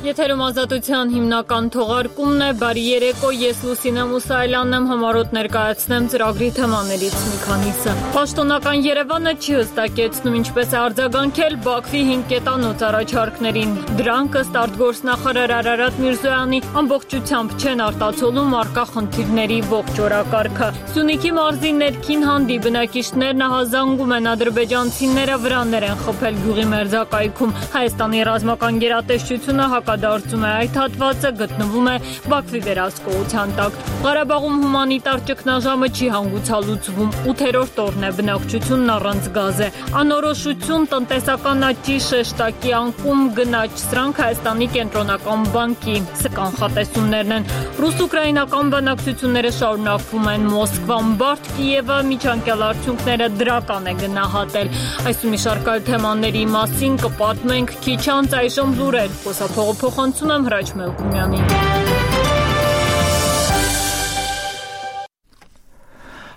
Եթերում ազատության հիմնական թողարկումն է, բարի երեկո, ես Լուսինե Մուսայելյանն եմ, համառոտ ներկայացնեմ ծրագրի թեմաներից մի քանիսը։ Պաշտոնական Երևանը չի հստակեցնում ինչպես է արձագանքել Բաքվի 5 կետանոց առաջարկներին։ Դրանք ըստ արտգործնախարար Արարատ Միրզոյանի ամբողջությամբ չեն արտացոլում առկա խնդիրների ողջ օրակարգը։ Սյունիքի մարզի ներքին հանդի բնակիչներն ահազանգում են ադրբեջանցիները վրաններ են խփել գյուղի մերձակայքում։ Հայաստանի ռազմական գերատեսչությունը հակադարձում է այդ հատվածը գտնվում է Բաքվի վերահսկողության տակ։ Ղարաբաղում հումանիտար ճգնաժամը չի հանգուցալուծվում, 8-րդ օրն է բնակչությունն առանց գազ է։ Անորոշություն, տնտեսական աճի շեշտակի անկում, գնաճ սրանք Հայաստանի կենտրոնական բանկի կանխատեսումներն են։ Ռուս-ուկրաինական բանակցությունները շարունակվում են Մոսկվան, բարդ Կիևը միջանկյալ արդյունքները դրական է գնահատել։ Այս ու մի շարք այլ թեմաների մասին կպատմենք քիչ անց, այժմ լուրեր, փոխանցում եմ Հրաչ Մելքումյանին։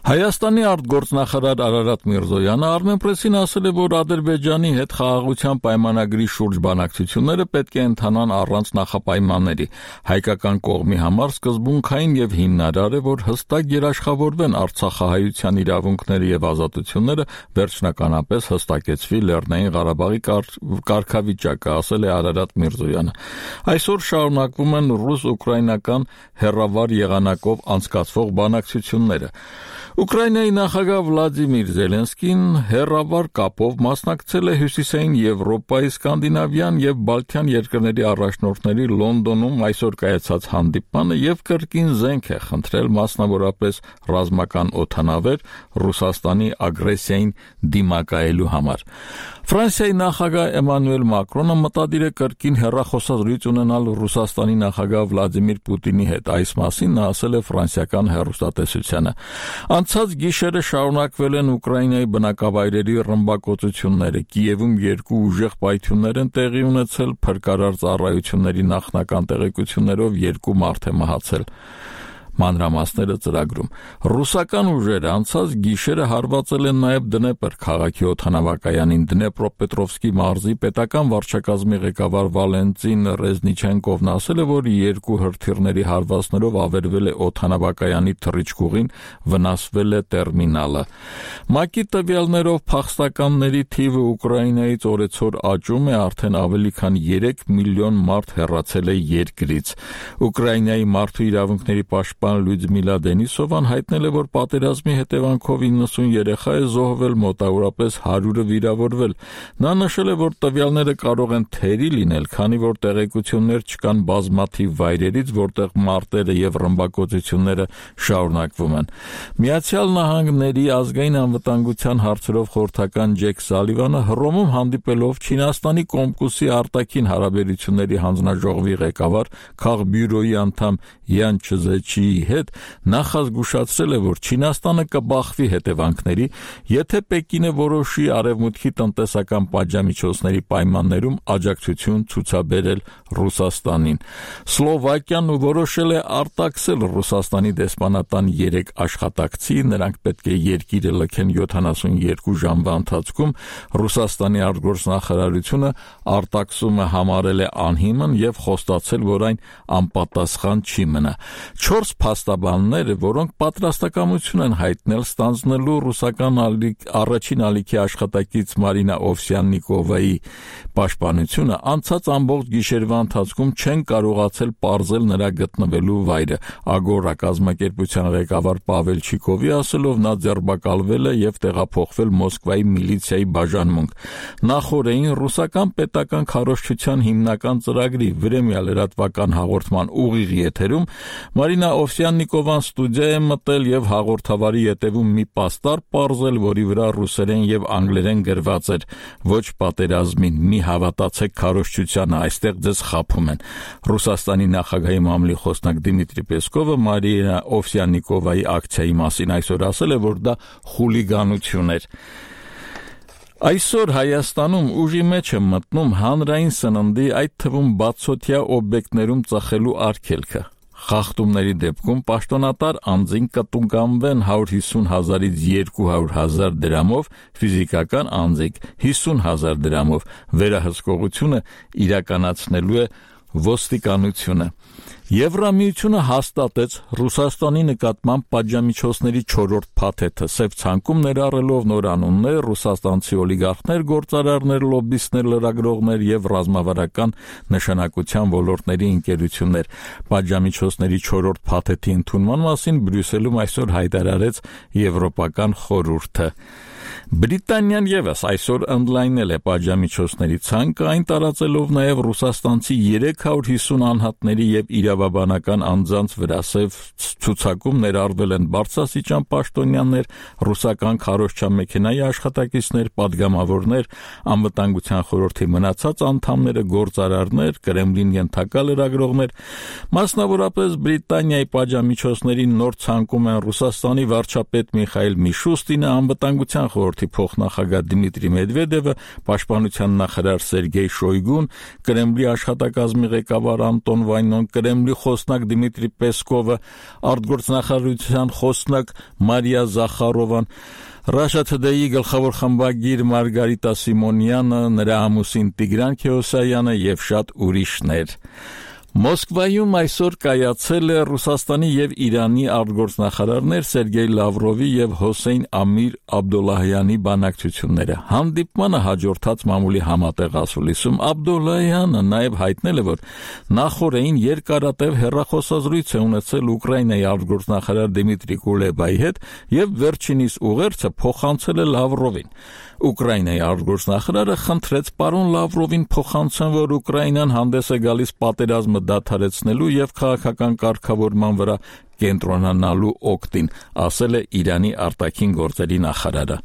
Հայաստանի արտգործնախարար Արարատ Միրզոյանը Armenpress-ին ասել է, որ Ադրբեջանի հետ խաղաղության պայմանագրի շուրջ բանակցությունները պետք է ընթանան առանց նախապայմանների։ Հայկական կողմի համար սկզբունքային եւ հիմնարար է, որ հստակ երաշխավորվեն Արցախահայության իրավունքները եւ ազատությունները, վերջնականապես հստակեցվի Լեռնային Ղարաբաղի կարգավիճակը, ասել է Արարատ Միրզոյանը։ Այսօր շարունակվում են ռուս-ուկրաինական հեռավար եղանակով անցկացվող բանակցությունները։ Ուկրաինայի նախագահ Վլադիմիր Զելենսկին հեռավար կապով մասնակցել է Հյուսիսային Եվրոպայի, Սկանդինավյան եւ Բալթյան երկրների առաջնորդների Լոնդոնում այսօր կայացած հանդիպմանը եւ կրկին զենք է խնդրել մասնավորապես ռազմական օդանավեր Ռուսաստանի ագրեսիային դիմակայելու համար։ Ֆրանսիայի նախագահ Էմանուել Մակրոնը մտադիր է կրկին հեռախոսազրույց ունենալ Ռուսաստանի նախագահ Վլադիմիր Պուտինի հետ։ Այս մասին նա ասել է ֆրանսիական հեռուստատեսությանը։ Անցած գիշերը շարունակվել են Ուկրաինայի բնակավայրերի ռմբակոծությունները։ Կիևում 2 ուժեղ պայթյուններ են տեղի ունեցել, փրկարար ծառայությունների նախնական տեղեկություններով 2 մարդ է մահացել։ Մանրամասները ծրագրում։ Ռուսական ուժերը անցած գիշերը հարվածել են նաև Դնեպր քաղաքի օդանավակայանին։ Դնեպրոպետրովսկի մարզի պետական վարչակազմի ղեկավար Վալենտին Ռեզնիչենկովն ասել է, որ 2 հրթիռների հարվածներով ավերվել է օդանավակայանի թռիչքուղին, վնասվել է տերմինալը։ ՄԱԿ-ի տվյալներով փախստականների թիվը Ուկրաինայից օրեցօր աճում է, արդեն ավելի քան 3 միլիոն մարդ հեռացել է երկրից։ Ուկրաինայի մարդու իրավունքների պաշտպան Լյուդմիլա Դենիսովան հայտնել է, որ պատերազմի հետևանքով 90 երեխա է զոհվել, մոտավորապես 100-ը վիրավորվել։ Նա նշել է, որ տվյալները կարող են թերի լինել, քանի որ տեղեկություններ չկան բազմաթիվ վայրերից, որտեղ մարտերը եւ ռմբակոծությունները շարունակվում են։ Միացյալ Նահանգների ազգային անվտանգության հարցերով խորհրդական Ջեք Սալիվանը Հռոմում հանդիպելով Չինաստանի Կոմկուսի արտաքին հարաբերությունների հանձնաժողովի ղեկավար Քաղբյուրոյի անդամ Յան Չզեչիի հետ նախազգուշացրել է, որ Չինաստանը կբախվի հետևանքների, եթե Պեկինը որոշի արևմուտքի տնտեսական պատժամիջոցների պայմաններում աջակցություն ցուցաբերել Ռուսաստանին։ Սլովակիան որոշել է արտաքսել Ռուսաստանի դեսպանատան 3 աշխատակցի, նրանք պետք է երկիրը լքեն 72 ժամվա ընթացքում։ Ռուսաստանի արտգործնախարարությունը արտաքսումը համարել է անհիմն եւ խոստացել, որ այն անպատասխան չի մնա։ 4 փաստաբանները, որոնք պատրաստակամություն են հայտնել ստանձնելու ռուսական առաջին ալիքի աշխատակից Մարինա Օվսյաննիկովայի պաշտպանությունը, անցած ամբողջ գիշերվա ընթացքում չեն կարողացել պարզել նրա գտնվելու վայրը։ Ագորա կազմակերպության ղեկավար Պավել Չիկովի ասելով, նա ձերբակալվել է եւ տեղափոխվել Մոսկվայի միլիցիայի բաժանմունք։ Նախորդին ռուսական պետական քարոզչության հիմնական ծրագրի Վրեմյա լրատվական հաղորդման ուղիղ եթերում Մարինա Օվսյաննիկովան ստուդիա է մտել եւ հաղորդավարի ետևում մի պաստառ պարզել, որի վրա ռուսերեն եւ անգլերեն գրված էր. «Ոչ պատերազմին, մի հավատացեք քարոզչությանը, այստեղ ձեզ խաբում են»։ Ռուսաստանի նախագահի մամլի խոսնակ Դիմիտրի Պեսկովը Մարինա Օվսյաննիկովայի ակցիայի մասին այսօր ասել է, որ դա խուլիգանություն էր։ Այսօր Հայաստանում ուժի մեջ է մտնում հանրային սննդի, այդ թվում բացօթյա օբյեկտներում ծխելու արգելքը։ Խախտումների դեպքում պաշտոնատար անձին կտուգանվեն 150,000-ից 200,000 դրամով, ֆիզիկական անձիկ 50,000 դրամով։ Վերահսկողությունը իրականացնելու է ոստիկանությունը։ Եվրամիությունը հաստատեց Ռուսաստանի նկատմամբ պատժամիջոցների 4-րդ փաթեթը, սև ցանկում ներառելով նոր անուններ, ռուսաստանցի օլիգարխներ, գործարարներ, լոբբիստներ, լրագրողներ եւ ռազմավարական նշանակության ոլորտների ընկերություններ։ Պատժամիջոցների 4-րդ փաթեթի ընդունման մասին Բրյուսելում այսօր հայտարարեց Եվրոպական խորհուրդը։ Բրիտանիան եւս այսօր ընդլայնել է պատժամիջոցների ցանկը, այն տարածելով նաեւ ռուսաստանցի 350 անհատների եւ իրավաբանական անձանց վրա սև ցուցակում ներառվել են բարձրաստիճան պաշտոնյաներ, ռուսական քարոզչամեքենայի աշխատակիցներ, падգամավորներ, անվտանգության խորհրդի մնացած անդամները, գործարարներ, Կրեմլին ենթակա լրագրողներ, մասնավորապես Բրիտանիայի պատժամիջոցների նոր ցանկում են Ռուսաստանի վարչապետ Միխայիլ Միշուստինը, անվտանգության խորհրդի փոխնախագահ Դմիտրի Մեդվեդևը, պաշտպանության նախարար Սերգեյ Շոյգուն, Կրեմլի աշխատակազմի ղեկավար Անտոն Վայնոն, Կրեմլի խոսնակ Դմիտրի Պեսկովը, արտգործնախարարության խոսնակ Մարիա Զախարովան, Russia Today-ի գլխավոր խմբագիր Մարգարիտա Սիմոնյանը, նրա ամուսին Տիգրան Քեոսայանը եւ շատ ուրիշներ։ Մոսկվայում այսօր կայացել է Ռուսաստանի եւ Իրանի արտգործնախարարներ Սերգեյ Լավրովի եւ Հոսեյն Ամիր Աբդոլլահյանի բանակցությունները։ Հանդիպմանը հաջորդած մամուլի համատեղ ասուլիսում Աբդոլլահյանը նաեւ հայտնել է, որ նախորդին երկարատև հեռախոսազրույց է ունեցել Ուկրաինայի արտգործնախարար Դմիտրի Կուլեբայի հետ եւ վերջինիս ուղերձը փոխանցել է Լավրովին։ Ուկրաինայի արտգործնախարարը խնդրեց պարոն Լավրովին փոխանցեն, որ Ուկրաինան հանդես է գալիս պատերազմը դադարեցնելու եւ քաղաքական կարգավորման վրա կենտրոնանալու օգտին, ասել է Իրանի արտաքին գործերի նախարարը։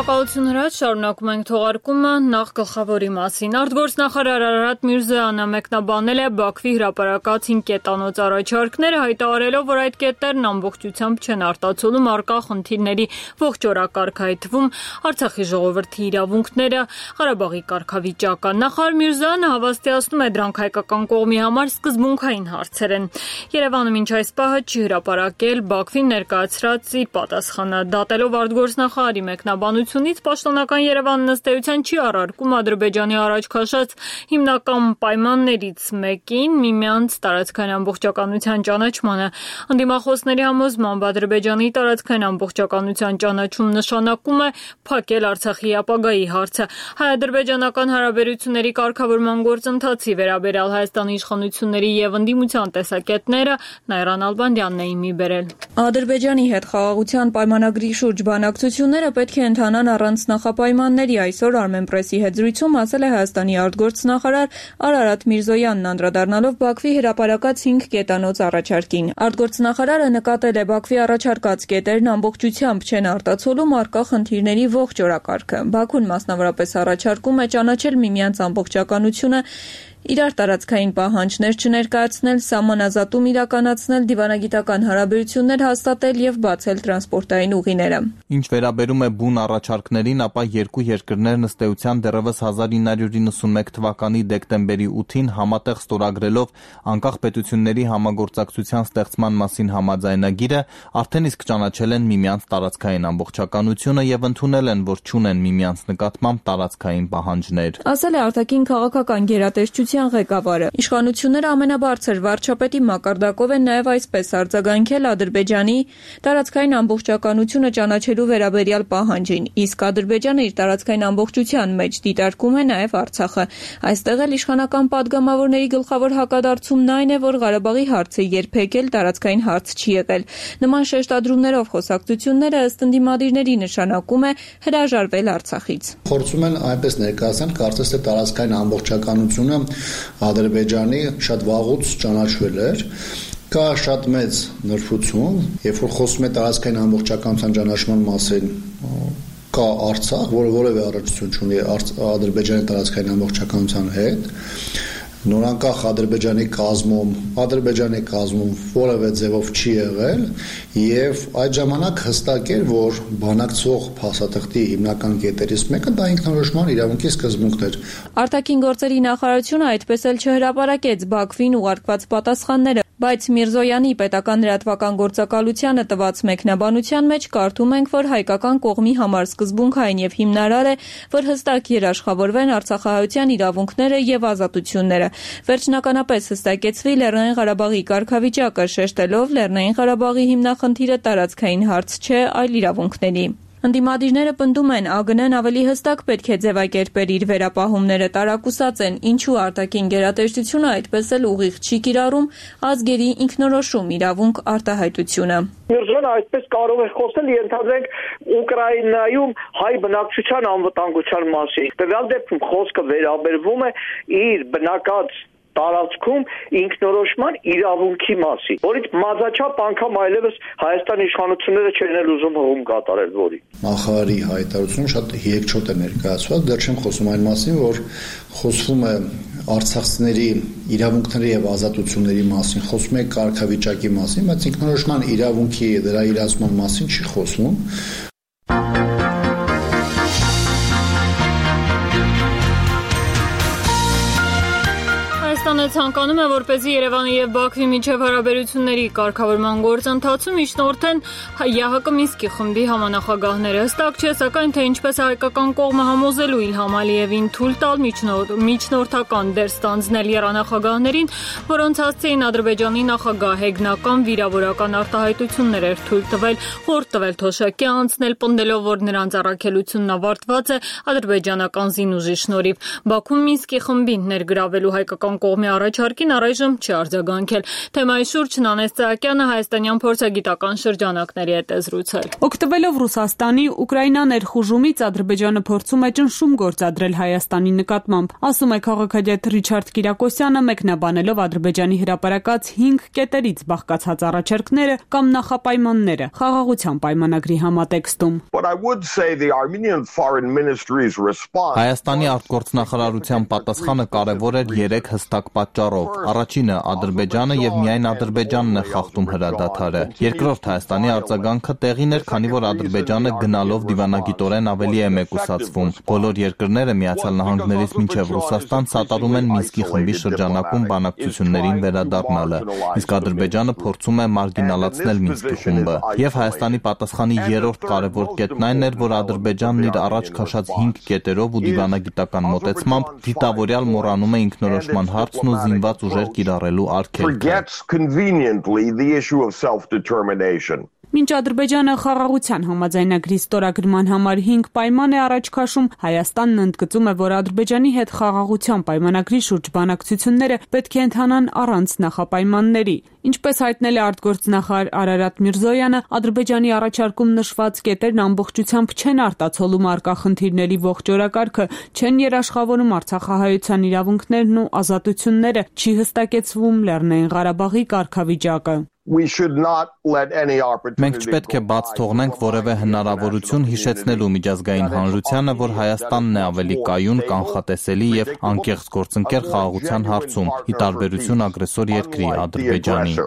Շնորհակալություն հրաց, շարունակում ենք թողարկումը նախ գլխավորի մասին։ Արտգործնախարար Արարատ Միրզոյանը մեկնաբանել է Բաքվի հրապարակած 5 կետանոց առաջարկները, հայտարարելով, որ այդ կետերն ամբողջությամբ չեն արտացոլում առկա խնդիրների ողջ օրակարգ, այդ թվում Արցախի ժողովրդի իրավունքները, Ղարաբաղի կարգավիճակը։ Նախարար Միրզոյանը հավաստիացնում է, դրանք հայկական կողմի համար սկզբունքային հարցեր են։ Երևանը մինչ այս պահը չի հրապարակել Բաքվին ներկայացրած իր պատասխանը, դատելով արտգործնախարարի մեկնաբանությունից պաշտոնական Երևանն ըստ էության չի առարկում Ադրբեջանի առաջ քաշած հիմնական պայմաններից մեկին միմյանց տարածքային ամբողջականության ճանաչմանը։ Ընդդիմախոսների համոզմամբ Ադրբեջանի տարածքային ամբողջականության ճանաչում նշանակում է փակել Արցախի ապագայի հարցը։ Հայ-ադրբեջանական հարաբերությունների կարգավորման գործընթացի վերաբերյալ Հայաստանի իշխանությունների եւ ընդդիմության տեսակետները Նայրան Ալբանդյանն էին մի բերել։ Ադրբեջանի հետ խաղաղության պայմանագրի շուրջ բանակցությունները պետք է ընթանան առանց նախապայմանների, այսօր Armenpress-ի հետ զրույցում ասել է Հայաստանի արտգործնախարար Արարատ Միրզոյանն, անդրադառնալով Բաքվի հրապարակած 5 կետանոց առաջարկին։ Արտգործնախարարը նկատել է Բաքվի առաջարկած կետերն ամբողջությամբ չեն արտացոլում առկա խնդիրների ողջ օրակարգը։ Բաքուն մասնավորապես առաջարկում է ճանաչել միմյանց ամբողջականությունը, իրար տարածքային պահանջներ չներկայացնել, սահմանազատում իրականացնել, դիվանագիտական հարաբերություններ հաստատել եւ բացել տրանսպորտային ուղիները։ Ինչ վերաբերում է բուն առաջարկներին, ապա երկու երկրներն ըստ էության դեռևս 1991 թվականի դեկտեմբերի 8-ին համատեղ ստորագրելով անկախ պետությունների համագործակցության ստեղծման մասին համաձայնագիրը արդեն իսկ ճանաչել են միմյանց տարածքային ամբողջականությունը եւ ընդունել են, որ չունեն միմյանց նկատմամբ տարածքային պահանջներ։ Ասել է արտաքին քաղաքական գերատեսչության ղեկավարը։ Իշխանությունները ամենաբարձր վարչապետի մակարդակով են նաև այսպես արձագանքել Ադրբեջանի տարածքային ամբողջականությունը ճանաչելու վերաբերյալ պահանջին, իսկ Ադրբեջանը իր տարածքային ամբողջության մեջ դիտարկում է նաև Արցախը։ Այստեղ էլ իշխանական падգամավորների գլխավոր հակադարձումն այն է, որ Ղարաբաղի հարցը երբեք էլ տարածքային հարց չի եղել։ Նման շեշտադրումներով խոսակցությունները ըստ ընդդիմադիրների նշանակում է հրաժարվել Արցախից։ Փորձում են այնպես ներկայացնել, կարծես թե տարածքային ամբողջականությունը Ադրբեջանի շատ վաղուց ճանաչվել էր, կա շատ մեծ նրբություն, երբ որ խոսում է տարածքային ամբողջականության ճանաչման մասին, կա Արցախ, որը որևէ առնչություն չունի Ադրբեջանի տարածքային ամբողջականության հետ, նորանկախ Ադրբեջանի կազմում որևէ ձևով չի եղել եւ այդ ժամանակ հստակ էր, որ բանակցող փաստաթղթի հիմնական կետերից մեկը դա ինքնորոշման իրավունքի սկզբունքն էր։ Արտաքին գործերի նախարարությունը այդպես էլ չհրապարակեց Բաքվին ուղարկված պատասխանները, բայց Միրզոյանի պետական լրատվական գործակալությանը տված մեկնաբանության մեջ կարդում ենք, որ հայկական կողմի համար սկզբունքային եւ հիմնարար է, որ հստակ երաշխավորվեն արցախահայության իրավունքները եւ ազատությունները։ Վերջնականապես հստակեցվի Լեռնային Ղարաբաղի կարգավիճակը, շեշտելով Լեռնային Ղարաբաղի հիմնախնդիրը տարածքային հարց չէ, այլ իրավունքների։ Ընդդիմադիրները պնդում են, ԱԳՆ-ն ավելի հստակ պետք է ձևակերպեր իր վերապահումները, տարակուսած են, ինչու արտաքին գերատեսչությունը այդպես էլ ուղիղ չի կիրառում ազգերի ինքնորոշում իրավունք արտահայտությունը։ Միրզոյանը այդպես կարող է խոսել, ենթադրենք Ուկրաինայում հայ բնակչության անվտանգության մասին։ Տվյալ դեպքում խոսքը վերաբերվում է իր բնակած տարածքում ինքնորոշման իրավունքի մասին, որից մազաչափ անգամ այլևս Հայաստանի իշխանությունները չեն ուզում հողում կատարել որի։ Նախարարի հայտարարությունը շատ երկչոտ է ներկայացված, դեռ չեմ խոսում այն մասին, որ խոսվում է արցախցիների իրավունքների եւ ազատությունների մասին, խոսում է կարգավիճակի մասին, բայց ինքնորոշման իրավունքի դրա իրացման մասին չի խոսվում։ Հայաստանը ցանկանում է, որպեսզի Երևանի եւ Բաքվի միջև հարաբերությունների կարգավորման գործընթացում միջնորդեն ԵԱՀԿ Մինսկի խմբի համանախագահները։ Հստակ չէ, սակայն թե ինչպես հայկական կողմը համոզելու Իլհամ Ալիևին թույլ տալ միջնորդական դեր ստանձնել երանախագահներին, որոնց հասցեին Ադրբեջանի նախագահ հեգնական վիրավորական արտահայտություններ էր թույլ տվել, խորտ տվել Թոշակի անցնել, պնդելով, որ նրանց առաքելությունն ավարտված է ադրբեջանական զինուժի շնորհիվ։ Բաքուն Մինսկի խմբին ներգրավելու հայկական կողմի առաջարկին առայժմ չի արձագանքել։ Թեմայի շուրջ Նանես Ծահակյանը հայաստանյան փորձագիտական շրջանակների հետ է զրուցել։ Օգտվելով Ռուսաստանի Ուկրաինա ներխուժումից Ադրբեջանը փորձում է ճնշում գործադրել Հայաստանի նկատմամբ, ասում է քաղաքագետ Ռիչարդ Կիրակոսյանը, մեկնաբանելով Ադրբեջանի հրապարակած 5 կետերից բաղկացած առաջարկները կամ նախապայմանները խաղաղության պայմանագրի համատեքստում։ Հայաստանի արտգործնախարարության պատասխանը կարևոր էր 3 հստակ պատճառով։ Առաջինը Ադրբեջանը եւ միայն Ադրբեջանն է խախտում հրադադարը։ Երկրորդ Հայաստանի արձագանքը տեղին էր, քանի որ Ադրբեջանը գնալով դիվանագիտորեն ավելի է մեկուսացվում։ Բոլոր երկրները Միացյալ Նահանգներից մինչև Ռուսաստան սատարում են Մինսկի խմբի շրջանակում բանակցություններին վերադառնալը, իսկ Ադրբեջանը փորձում է մարգինալացնել Մինսկի խումբը։ Եվ Հայաստանի պատասխանի երրորդ կարևոր կետն այն էր, որ Ադրբեջանն իր առաջ քաշած 5 կետերով ու դիվանագիտական մոտեցմամբ դիտավորյալ մոռանում է ինքնորոշման հարցն ու զինված ուժեր կիրառելու արգելքը։ Մինչ Ադրբեջանը խաղաղության համաձայնագրի ստորագրման համար 5 պայման է առաջ քաշում, Հայաստանն ընդգծում է, որ Ադրբեջանի հետ խաղաղության պայմանագրի շուրջ բանակցությունները պետք է ընթանան առանց նախապայմանների։ Ինչպես հայտնել է արտգործնախարար Արարատ Միրզոյանը, Ադրբեջանի առաջարկում նշված կետերն ամբողջությամբ չեն արտացոլում առկա խնդիրների ողջ օրակարգը, չեն երաշխավորում արցախահայության իրավունքներն ու ազատությունները, չի հստակեցվում Լեռնային Ղարաբաղի կարգավիճակը։ Մենք չպետք է բաց թողնենք որևէ հնարավորություն հիշեցնելու միջազգային հանրությանը, որ Հայաստանն է ավելի կայուն, կանխատեսելի եւ անկեղծ գործընկեր խաղաղության հարցում, ի տարբերություն ագրեսոր երկրի Ադրբեջանի։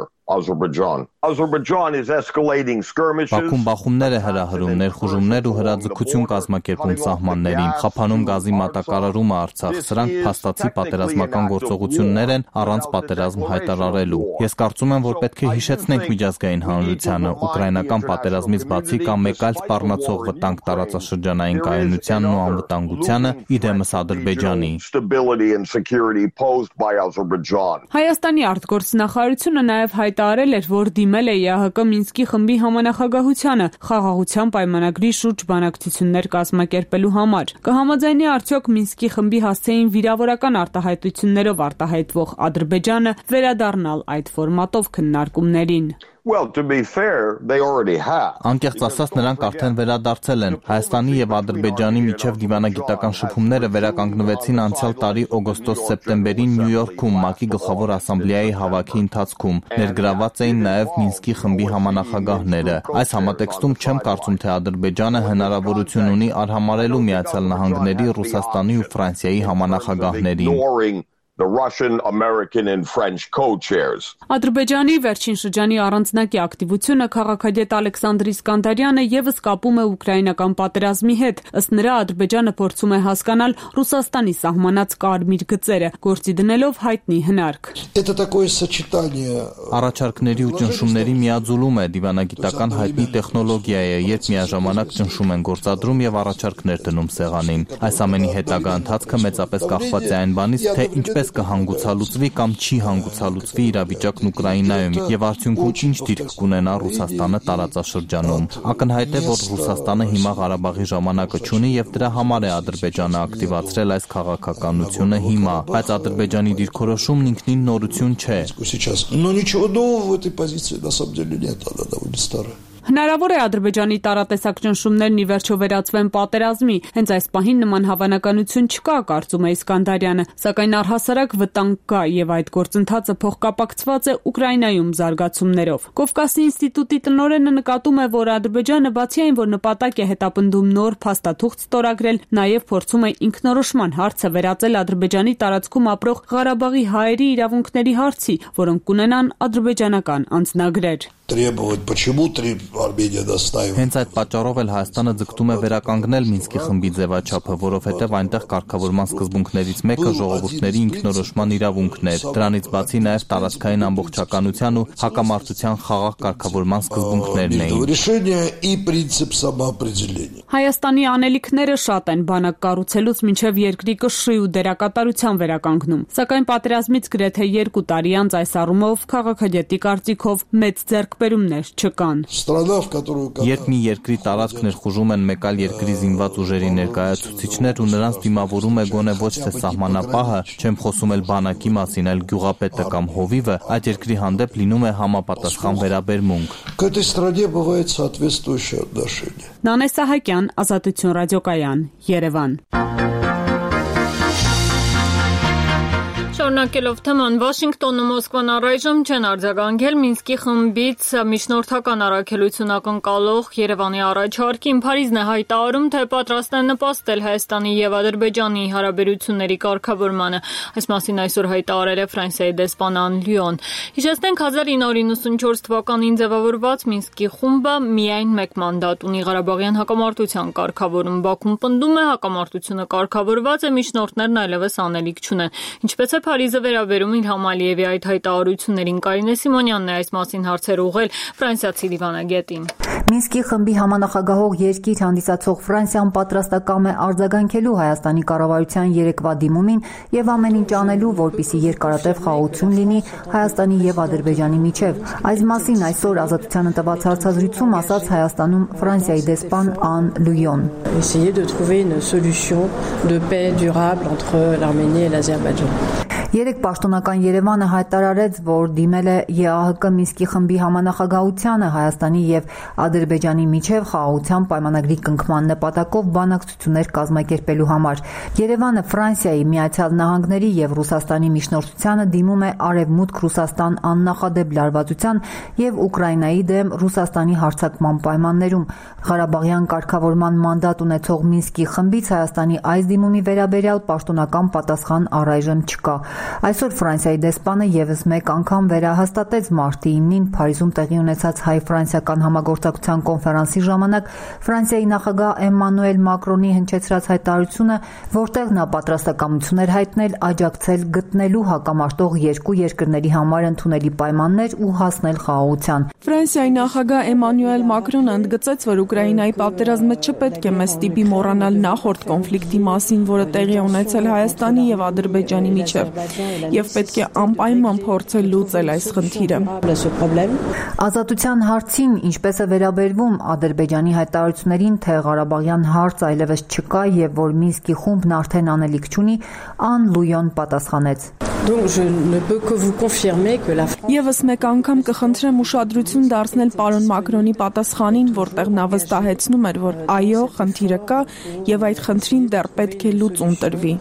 Բաքուն բախումներ է հրահրում, ներխուժումներ ու հրաձգություն կազմակերպում սահմաններին, խափանում գազի մատակարարումը Արցախ, սրանք փաստացի պատերազմական գործողություններ են առանց պատերազմ հայտարարելու։ Ես կարծում եմ, որ պետք է հիշեցնենք միջազգային հանրությանը, ուկրաինական պատերազմից բացի կա մեկ այլ սպառնացող վտանգ տարածաշրջանային կայունությանն ու անվտանգությանը, իդեմս Ադրբեջանի։ Հայաստանի արտգործնախարարությունը նաև հայտարարել էր, որ դիմել է ԵԱՀԿ Մինսկի խմբի համանախագահությանը խաղաղության պայմանագրի շուրջ բանակցություններ կազմակերպելու համար։ Կհամաձայնի արդյոք Մինսկի խմբի հասցեին վիրավորական արտահայտություններով արտահայտվող Ադրբեջանը վերադառնալ այդ ֆորմատով քննարկումներին։ Անկեղծ ասած, նրանք արդեն վերադարձել են։ Հայաստանի եւ Ադրբեջանի միջև դիվանագիտական շփումները վերականգնվեցին անցյալ տարի օգոստոս-սեպտեմբերին Նյու Յորքում ՄԱԿ-ի գլխավոր ասամբլեայի հավաքի ընթացքում։ Ներգրաված էին նաեւ Մինսկի խմբի համանախագահները։ Այս համատեքստում չեմ կարծում, թե Ադրբեջանը հնարավորություն ունի արհամարհելու Միացյալ Նահանգների, Ռուսաստանի ու Ֆրանսիայի համանախագահներին։ the Russian, American and French co-chairs. Ադրբեջանի վերջին շրջանի առանձնակի ակտիվությունը քաղաքագետ Ալեքսանդր Իսկանդարյանը եւս կապում է ուկրաինական պատերազմի հետ։ Ըստ նրա, Ադրբեջանը փորձում է հասկանալ Ռուսաստանի սահմանած կարմիր գծերը, գործի դնելով հայտնի հնարք։ Առաջարկների ու ճնշումների միաձուլում է դիվանագիտական հայտնի տեխնոլոգիա է, երբ միաժամանակ ճնշում են գործադրում եւ առաջարկներ դնում սեղանին։ Այս ամենի հետագա ընթացքը մեծապես կախված է այն բանից, թե ինչպես կհանգուցալուծվի կամ չի հանգուցալուծվի իրավիճակն Ուկրաինայում եւ արդյունքում ինչ դիրք կունենա Ռուսաստանը տարածաշրջանում։ Ակնհայտ է, որ Ռուսաստանը հիմա Ղարաբաղի ժամանակը չունի եւ дրա համար է Ադրբեջանը ակտիվացրել այս քաղաքականությունը հիմա, բայց Ադրբեջանի դիրքորոշումն ինքնին նորություն չէ։ Հնարավոր է Ադրբեջանի տարատեսակ ճնշումներն ի վերջո վերածվեն պատերազմի, հենց այս պահին նման հավանականություն չկա, կարծում է Իսկանդարյանը, սակայն առհասարակ վտանգ կա եւ այդ գործընթացը փոխկապակցված է Ուկրաինայում զարգացումներով։ Կովկասի ինստիտուտի տնօրենը նկատում է, որ Ադրբեջանը բացի այն, որ նպատակ է հետապնդում նոր փաստաթուղթ ստորագրել, նաեւ փորձում է ինքնորոշման հարցը վերածել Ադրբեջանի տարածքում ապրող Ղարաբաղի հայերի իրավունքների հարցի, որոնք կունենան ադրբեջանական անձնագրեր։ Հենց այդ պատճառով էլ Հայաստանը ձգտում է վերականգնել Մինսկի խմբի ձևաչափը, որովհետև այնտեղ կարգավորման սկզբունքներից մեկը ժողովուրդների ինքնորոշման իրավունքն էր։ Դրանից բացի նաև տարածքային ամբողջականության ու հակամարտության խաղաղ կարգավորման սկզբունքներն էին։ Հայաստանի անելիքները շատ են բանակ կառուցելուց մինչև երկրի կշռի ու դերակատարության վերականգնում։ Սակայն պատերազմից գրեթե 2 տարի անց այս առումով քաղաքագետի կարծիքով մեծ ձեռքբերումներ չկան։ Երբ մի երկրի տարածք ներխուժում են մեկ այլ երկրի զինված ուժերի ներկայացուցիչներ ու նրանց դիմավորում է գոնե ոչ թե սահմանապահը, չեմ խոսում էլ բանակի մասին, այլ գյուղապետը կամ հովիվը, այդ երկրի հանդեպ լինում է համապատասխան վերաբերմունք։ Նանե Սահակյան, Ազատություն ռադիոկայան, Երևան։ Շարունակելով թեման, Վաշինգտոնը Մոսկվան առայժմ չեն արձագանքել Մինսկի խմբից միջնորդական առաքելություն ակնկալող Երևանի առաջարկին։ Փարիզն է հայտարարում, թե պատրաստ է նպաստել Հայաստանի եւ Ադրբեջանի հարաբերությունների կարգավորմանը։ Այս մասին այսօր հայտարարել է Ֆրանսիայի դեսպան Ան Լյուոն։ Հիշեցնենք, 1994 թվականին ձևավորված Մինսկի խումբը միայն մեկ մանդատ ունի Ղարաբաղյան հակամարտության կարգավորում։ Բաքուն պնդում է, հակամարտությունը կարգավորված է, միջնորդներն այլևս անելիք չունեն։ Ինչպես է Փարիզը վերաբերում իր Համալիևի այդ հայտարարություններին, Կարինե Սիմոնյանն է այս մասին հարցեր ուղղել ֆրանսիացի դիվանագետին։ Մինսկի խմբի համանախագահող երկիր հանդիսացող Ֆրանսիան պատրաստակամ է արձագանքելու Հայաստանի կառավարության երեկվա դիմումին եւ ամեն ինչ անելու, որպեսզի երկարատև խաղաղություն լինի Հայաստանի եւ Ադրբեջանի միջեւ։ Այս մասին այսօր Ազատությանը տված հարցազրույցում ասաց Հայաստանում Ֆրանսիայի դեսպան Ան Լյուոն։ Essayer de trouver une solution de paix durable entre l'Arménie et l'Azerbaïdjan. Երեք պաշտոնական Երևանը հայտարարեց, որ դիմել է ԵԱՀԿ Մինսկի խմբի համանախագահությանը Հայաստանի եւ Ադրբեջանի միջև խաղաղության պայմանագրի կնքման նպատակով բանակցություններ կազմակերպելու համար։ Երևանը Ֆրանսիայի, Միացյալ Նահանգների եւ Ռուսաստանի միջնորդությանը դիմում է Արևմուտք Ռուսաստան աննախադեպ լարվածության եւ Ուկրաինայի դեմ Ռուսաստանի հարձակման պայմաններում։ Ղարաբաղյան կարգավորման մանդատ ունեցող Մինսկի խմբից Հայաստանի այս դիմումի վերաբերյալ պաշտոնական պատասխան առայժմ չկա։ Այսօր Ֆրանսիայի դեսպանը եւս մեկ անգամ վերահաստատեց մարտի 9-ին Փարիզում տեղի ունեցած հայ-ֆրանսիական համագործակցության կոնֆերանսի ժամանակ Ֆրանսիայի նախագահ Էմանուել Մակրոնի հնչեցրած հայտարարությունը, որտեղ նա պատրաստակամություն էր հայտնել աջակցել գտնելու հակամարտող երկու երկրների համար ընդունելի պայմաններ ու հասնել խաղաղության։ Ֆրանսիայի նախագահ Էմանուել Մակրոնը ընդգծեց, որ Ուկրաինայի պատերազմը չպետք է մեզ ստիպի մոռանալ նախորդ կոնֆլիկտի մասին, որը տեղի ունեցել Հայաստանի եւ Ադրբեջանի միջեւ, եւ պետք է անպայման փորձել լուծել այս խնդիրը։ Ազատության հարցին ինչպես է վերաբերվում Ադրբեջանի հայտարարություններին, թե Ղարաբաղյան հարց այլևս չկա եւ որ Մինսկի խումբն արդեն անելիք չունի, Ան Լյուոն պատասխանեց. Եվս մեկ անգամ կխնդրեմ ուշադրություն դարձնել պարոն Մակրոնի պատասխանին, որտեղ նա վստահեցնում էր, որ այո, խնդիրը կա եւ այդ խնդրին դեռ պետք է լուծում տրվի։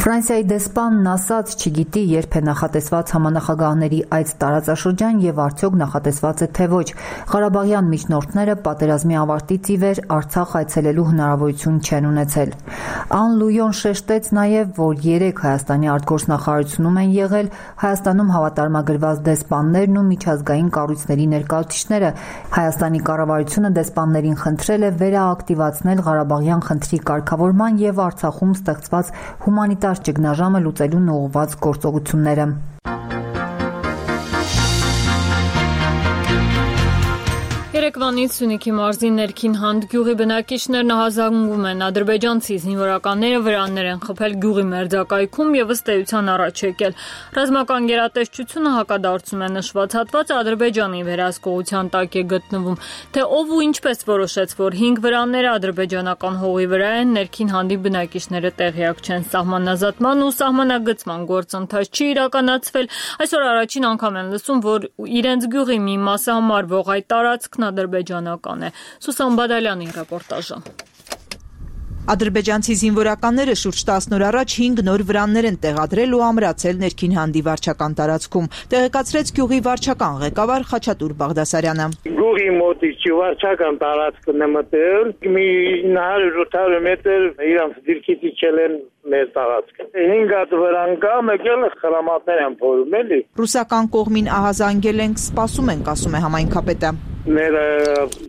Ֆրանսիայի դեսպանն ասաց, չգիտի երբ է նախատեսված համանախագահների այց տարածաշրջան եւ արդյոք նախատեսված է թե ոչ։ Ղարաբաղյան միջնորդները պատերազմի ավարտից ի վեր Արցախ այցելելու հնարավորություն չեն ունեցել։ Ան Լույոն շեշտեց նաեւ, որ 3 Հայաստանի արտգործնախարարությունում են եղել Հայաստանում հավատարմագրված դեսպաններն ու միջազգային կառույցների ներկայացուցիչները։ Հայաստանի կառավարությունը դեսպաններին խնդրել է վերաակտիվացնել Ղարաբաղյան խնդրի կարգավորման եւ Արցախում ստեղծված հումանիտար ճգնաժամը լուծելուն ուղղված գործողությունները։ Երեկվանից Սյունիքի մարզի ներքին Հանդ գյուղի բնակիչներն ահազանգում են ադրբեջանցի զինվորականները վրաններ են խփել գյուղի մերձակայքում եւ ըստ էության առաջ եկել։ Ռազմական գերատեսչությունը հակադարձում է նշված հատվածը Ադրբեջանի վերահսկողության տակ է գտնվում, թե ով ու ինչպես որոշեց, որ 5 վրանները ադրբեջանական հողի վրա են, ներքին Հանդի բնակիչները տեղյակ չեն։ Սահմանազատման ու սահմանագծման գործընթաց չի իրականացվել։ Այսօր առաջին անգամ են լսում, որ իրենց գյուղի մի մասը համարվող այդ տարածքն ադրբեջանական է։ Սուսան Բադալյանի ռեպորտաժը։ Ադրբեջանցի զինվորականները շուրջ 10 օր առաջ 5 նոր վրաններ են տեղադրել ու ամրացել ներքին Հանդի վարչական տարածքում, տեղեկացրեց գյուղի վարչական ղեկավար Խաչատուր Բաղդասարյանը։ Գյուղի մոտից վարչական տարածքն է մտել, մի 100-800 մետր իրանց դիրքից իջել են մեր տարածքը։ 5 հատ վրան կա, եկել խրամատներ են փորում էլի։ Ռուսական կողմին ահազանգել ենք, սպասում ենք, ասում է համայնքապետը։ Մեր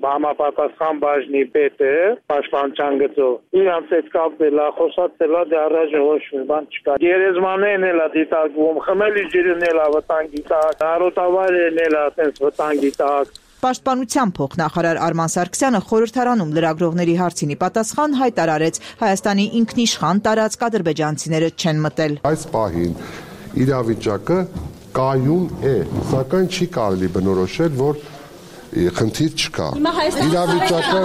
համապատասխան բաժնի պետը պաշտպանության գծով իրանց հետ կապել է, խոսացել է, դե առայժմ ոչ մի բան չկա։ Գերեզմանեն էլ է դիտարկվում, խմելի ջրն էլ է վտանգի տակ, արոտավայրն էլ է այդպես վտանգի տակ։ Պաշտպանության փոխնախարար Արման Սարգսյանը խորհրդարանում լրագրողների հարցինի պատասխան հայտարարեց Հայաստանի ինքնիշխան տարածք ադրբեջանցիները չեն մտել։ Այս պահին իրավիճակը կայուն է, սակայն չի կարելի բնորոշել, որ խնդիր չկա։ Իրավիճակը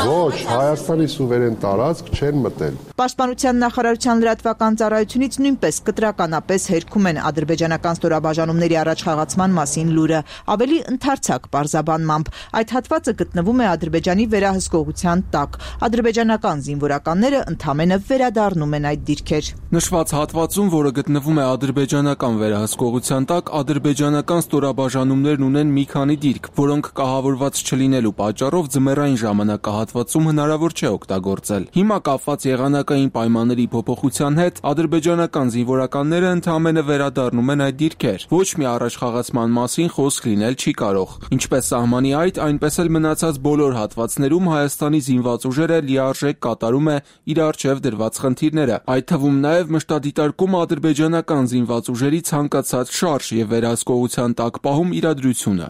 ոչ, Հայաստանի սուվերեն տարածք չեն մտել։ Պաշտպանության նախարարության լրատվական ծառայությունից նույնպես կտրականապես հերքում են ադրբեջանական ստորաբաժանումների առաջխաղացման մասին լուրը, ավելի ընդարձակ պարզաբանմամբ։ Այդ հատվածը գտնվում է Ադրբեջանի վերահսկողության տակ։ Ադրբեջանական զինվորականները ընդամենը վերադառնում են այդ դիրքեր։ Նշված հատվածում, որը գտնվում է ադրբեջանական վերահսկողության տակ, ադրբեջանական ստորաբաժանումներն ունեն մի քանի դիրք, որոնք կահավորված չլինելու պատճառով ձմեռային ժամանակահատվածում հնարավոր չէ օգտագործել։ Հիմա կապված եղանակային պայմանների փոփոխության հետ ադրբեջանական զինվորականները ընդամենը վերադառնում են այդ դիրքեր։ Ոչ մի առաջխաղացման մասին խոսք լինել չի կարող։ Ինչպես սահմանի այդ, այնպես էլ մնացած բոլոր հատվածներում Հայաստանի զինված ուժերը լիարժեք կատարում է իր առջև դրված խնդիրները, այդ թվում նաև մշտադիտարկում ադրբեջանական զինված ուժերի ցանկացած շարժ եւ վերահսկողության տակ պահում իրադրությունը։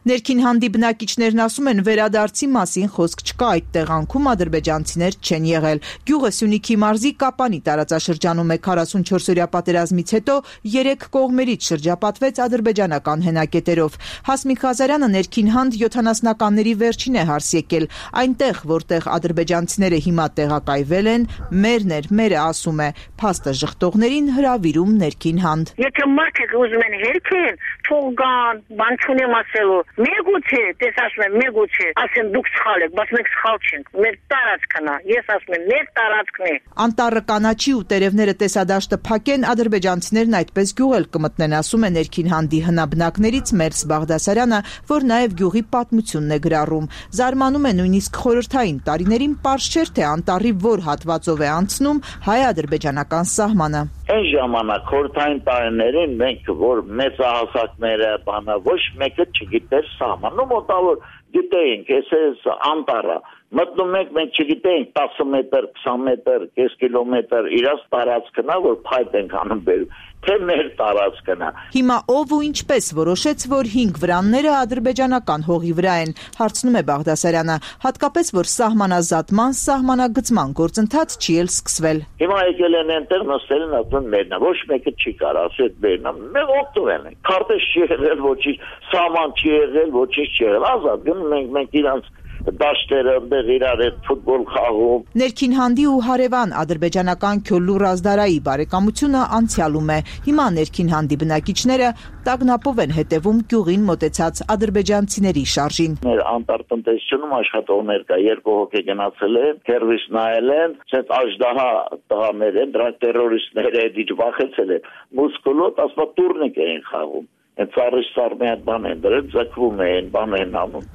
Ներքին Հանդի բնակիչներն ասում են, վերադարձի մասին խոսք չկա, այդ տեղանքում ադրբեջանցիներ չեն եղել։ Գյուղը Սյունիքի մարզի Կապանի տարածաշրջանում է, 44-օրյա պատերազմից հետո 3 կողմերից շրջապատվեց ադրբեջանական հենակետերով։ Հասմիկ Ղազարյանը ներքին Հանդ 70-ականների վերջին է հարս եկել, այնտեղ, որտեղ ադրբեջանցիները հիմա տեղակայվել են, մերը ասում է, փաստը ժխտողներին հրավիրում ներքին Հանդ։ Եթե մարդիկ ուզում են հերքել, թող գան, բան չունեմ ասելու։ Մեգուց է, տեսած եմ, մեգուց է, ասեն դուք սխալ եք, բայց մենք սխալ չենք։ Մեր տարածքն է, ես ասում եմ, մեր տարածքն է։ Անտառը կանաչի ու տերևները տեսադաշտը փակեն, ադրբեջանցիներն այդպես գյուղ էլ կմտնեն, ասում է ներքին Հանդի հնաբնակներից Մերս Բաղդասարյանը, որ նաև գյուղի պատմությունն է գրառում։ Զարմանում է նույնիսկ խորհրդային տարիներին պարզ չէր, թե անտառի որ հատվածով է անցնում հայ-ադրբեջանական սահմանը։ Այն ժամանակ խորհրդային տարիներին մենք որ մեծահասակները բանը ոչ մեկը չգիտեր սահմանը, մոտավոր գիտեինք, այս անտառը մտնում ենք, մենք չգիտեինք 10 մետր, 20 մետր, կես կիլոմետր իրաց տարածքն է, որ փայտ ենք անում բերում, թե մեր տարածքն է։ Հիմա ով ու ինչպես որոշեց, որ 5 վրանները ադրբեջանական հողի վրա են, հարցնում է Բաղդասարյանը, հատկապես որ սահմանազատման, սահմանագծման գործընթաց չի էլ սկսվել։ Հիմա եկել են այնտեղ նստել են ասում մերնա, ոչ մեկը չի կարող ասել մերնա, մենք օգտվել ենք։ Քարտեզ չի եղել, ոչինչ, սահման չի եղել, ոչինչ չի եղել, ազատ գնում ենք իրանց դաշտերը այնտեղ իրար հետ ֆուտբոլ խաղում։ Ներքին հանդի ու հարևան ադրբեջանական Քյոլլու Ռազդարայի բարեկամությունը անցյալում է։ Հիմա ներքին հանդի բնակիչները տագնապով են հետևում գյուղին մոտեցած ադրբեջանցիների շարժին։ Մեր անտարտնտեսությունում աշխատողներ կա, 2 հոգի գնացել են, քերվիս նայել են, ցած աժդահա տղաներ են, դրանք տերորիստներ են, դիջվախեցել են։ Մուսկուլոտ ասма տուրնիկ են խաղում։ Այդ ծառիշ սարմի այդ բան են դրել, ձգվում են, բան են անում։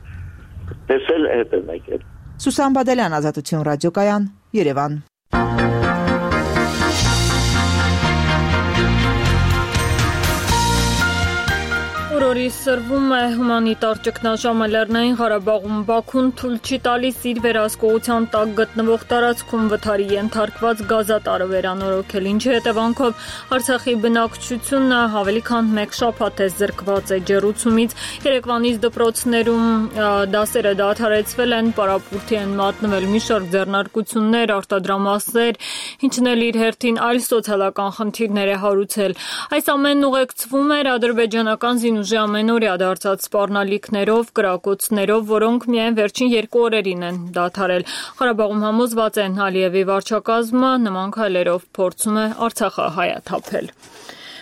Տեսել հետ են եկել։ Սուսան Բադալյան, Ազատություն ռադիոկայան, Երևան։ Օրորի սրվում է հումանիտար ճգնաժամը Լեռնային Ղարաբաղում։ Բաքուն թույլ չի տալիս իր վերահսկողության տակ գտնվող տարածքում վթարի ենթարկված գազատարը վերանորոգել, ինչի հետևանքով Արցախի բնակչությունը ավելի քան 1 շաբաթ է զրկված է ջեռուցումից։ Երեկվանից դպրոցներում դասերը դադարեցվել են, պարապուրդի են մատնվել մի շարք ձեռնարկություններ, արտադրամասեր, ինչն էլ իր հերթին այլ սոցիալական խնդիրներ է հարուցել։ Այս ամենն ուղեկցվում էր ադրբեջանական զինուժի ամենօրյա դարձած սպառնալիքներով, կրակոցներով, որոնք միայն վերջին 2 օրերին են դադարել։ Ղարաբաղում համոզված են Ալիևի վարչակազմը նման քայլերով փորձում է Արցախը հայաթափել։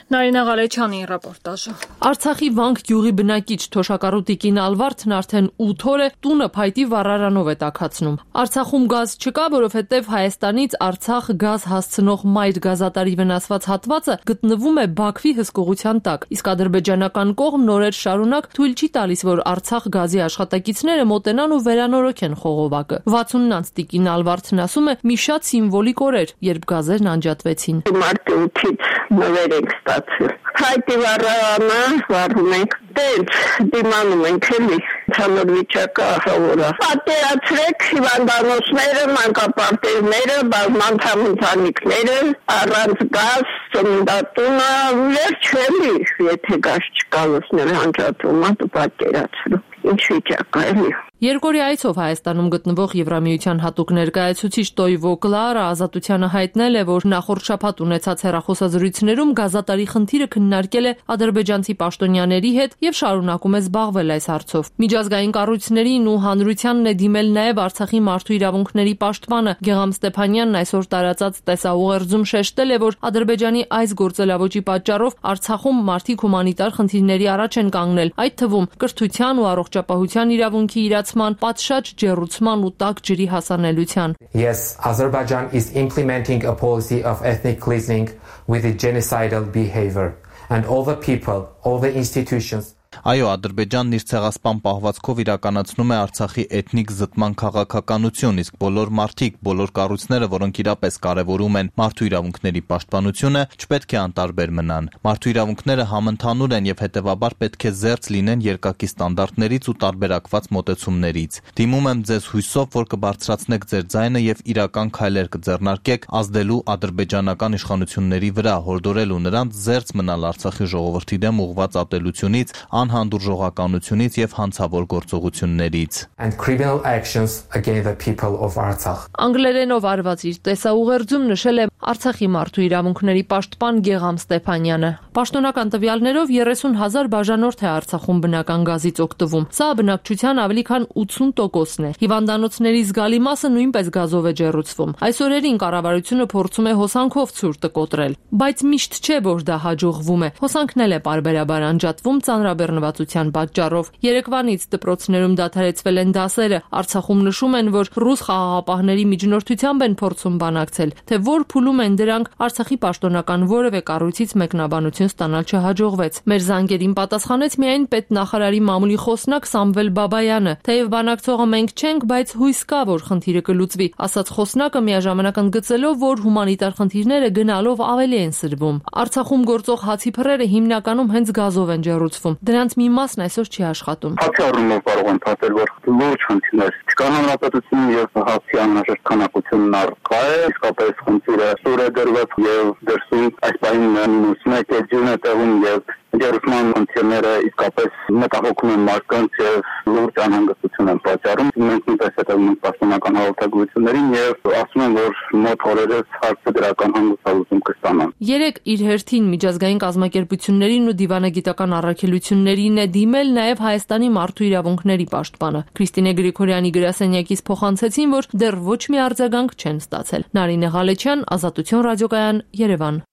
Նարինե Ղալեչյանի ռեպորտաժը։ Արցախի Վանք գյուղի բնակիչ թոշակառու Տիկին Ալվարդն արդեն 8 օր է տունը փայտի վառարանով է տաքացնում։ Արցախում գազ չկա, որովհետև Հայաստանից Արցախ գազ հասցնող մայր գազատարի վնասված հատվածը գտնվում է Բաքվի հսկողության տակ, իսկ ադրբեջանական կողմն օրեր շարունակ թույլ չի տալիս, որ Արցախ գազի աշխատակիցները մոտենան ու վերանորոգեն խողովակը։ 60-ից Տիկին Ալվարդն ասում է՝ մի շատ սիմվոլիկ օր էր, երբ գազերն անջատվեցին։ Մարտի 8-ից նվեր ենք ստացել։ Հայտի վառարանը վառում ենք, դենց դիմանում ենք էլի, ցանր վիճակը ահավորը։ Պատերացրեք հիվանդանոցները, մանկապարտեզները, բազմանդամ ընտանիքները, առանց գազ, ծննդատունը, վերջ էլի, եթե գազ չկա, լուսներ անջատվում, դու պատկերացրու։ Ինչ վիճակ է էլի։ Երկորի այցով Հայաստանում գտնվող Եվրամիության հատուկ ներկայացուցիչ Տոյվո Կլարա Ազատությանը հայտնել է, որ նախորդ շաբաթ ունեցած հեռախոսազրույցներում գազատարի խնդիրը քննարկել է ադրբեջանցի պաշտոնյաների հետ եւ շարունակում է զբաղվել այս հարցով։ Միջազգային կառույցներին ու հանրությանն է դիմել նաեւ Արցախի մարդու իրավունքների պաշտպանը Գեգամ Ստեփանյանն այսօր տարածած տեսաուղերձում շեշտել է, որ Ադրբեջանի այս գործելավոճի պատճառով Արցախում մարդիկ հումանիտար խնդիրների առաջ են կանգնել, այդ թվում կրթության ու առողջապահության իրավունքի պատշաճ ջեռուցման ու տաք ջրի հասանելիության։ Yes, Azerbaijan is implementing a policy of ethnic cleansing with a genocidal behavior, and all the people, all the institutions Այո, Ադրբեջանն իր ցեղասպան պահվածքով իրականացնում է Արցախի էթնիկ զտման քաղաքականություն, իսկ բոլոր մարդիկ, բոլոր կառույցները, որոնք իրապես կարևորում են մարդու իրավունքների պաշտպանությունը, չպետք է անտարբեր մնան։ Մարդու իրավունքները համընդհանուր են եւ հետեւաբար պետք է զերծ լինեն երկակի ստանդարտներից ու տարբերակված մոտեցումներից։ Դիմում եմ ձեզ հույսով, որ կբարձրացնեք ձեր ձայնը եւ իրական քայլեր կձեռնարկեք ազդելու ադրբեջանական իշխանությունների վրա, հորդորելու նրանց զերծ մնալ Արցախի ժողովրդի դեմ ուղղված ատելությունից, անհանդուրժողականությունից եւ հանցավոր գործողություններից and criminal actions against the people of Artsakh. Անգլերենով արված իր տեսաուղերձում նշել է Արցախի մարդու իրավունքների պաշտպան Գեգամ Ստեփանյանը։ Պաշտոնական տվյալներով 30,000 բաժանորդ է Արցախում բնական գազից օգտվում։ Սա բնակչության ավելի քան 80%-ն է։ Հիվանդանոցների զգալի մասը նույնպես գազով է ջեռուցվում։ Այս օրերին կառավարությունը փորձում է հոսանքով ցուրտը կոտրել, բայց միշտ չէ, որ դա հաջողվում է։ Հոսանքն էլ է պարբերաբար անջատվում ծանրաբեռնվածության պատճառով։ Երեկվանից դպրոցներում դադարեցվել են դասերը։ Արցախում նշում են, որ ռուս խաղաղապահների միջնորդությամբ են փորձում բանակցել, թե որ փուլում են դրանք, Արցախի պաշտոնական որևէ կառույցից մեկնաբանություն ստանալ չհաջողվեց։ Մեր զանգերին պատասխանեց միայն պետնախարարի մամուլի խոսնակ Սամվել Բաբայանը։ Թեև բանակցողը մենք չենք, բայց հույս կա, որ խնդիրը կլուծվի, ասաց խոսնակը միաժամանակ ընդգծելով, որ հումանիտար խնդիրները գնալով ավելի են սրվում։ Արցախում գործող հացի փռերը հիմնականում հենց գազով են ջեռուցվում։ Դրանց մի մասն այսօր չի աշխատում։ Հացի առումով կարող եմ ասել, որ լուրջ խնդիրներ չկա հանրապետությունում եւ հացի անհրաժեշտ քանակությունն առկա է, իսկապես խնդիրը սուր է դրված եւ դրսում այս պահին -1 է ձյուն է տեղում եւ Ջերուսման մոնտերները իսկապես մտահոգում են մարդկանց եւ լուրջ անհանգստություն են պատճառում։ Մենք նույնպես հետևում ենք պաշտոնական հաղորդագրություններին եւ ասում են, որ մոտ օրերս հարցը դրական հանգստալուծում կստանան։ Երեք իր հերթին միջազգային կազմակերպություններին ու դիվանագիտական առաքելություններին է դիմել նաեւ Հայաստանի մարդու իրավունքների պաշտպանը։ Քրիստինե Գրիգորյանի գրասենյակից փոխանցեցին, որ դեռ ոչ մի արձագանք չեն ստացել։ Նարինե Ղալեչյան, Ազատություն ռադիոկայան, Երևան։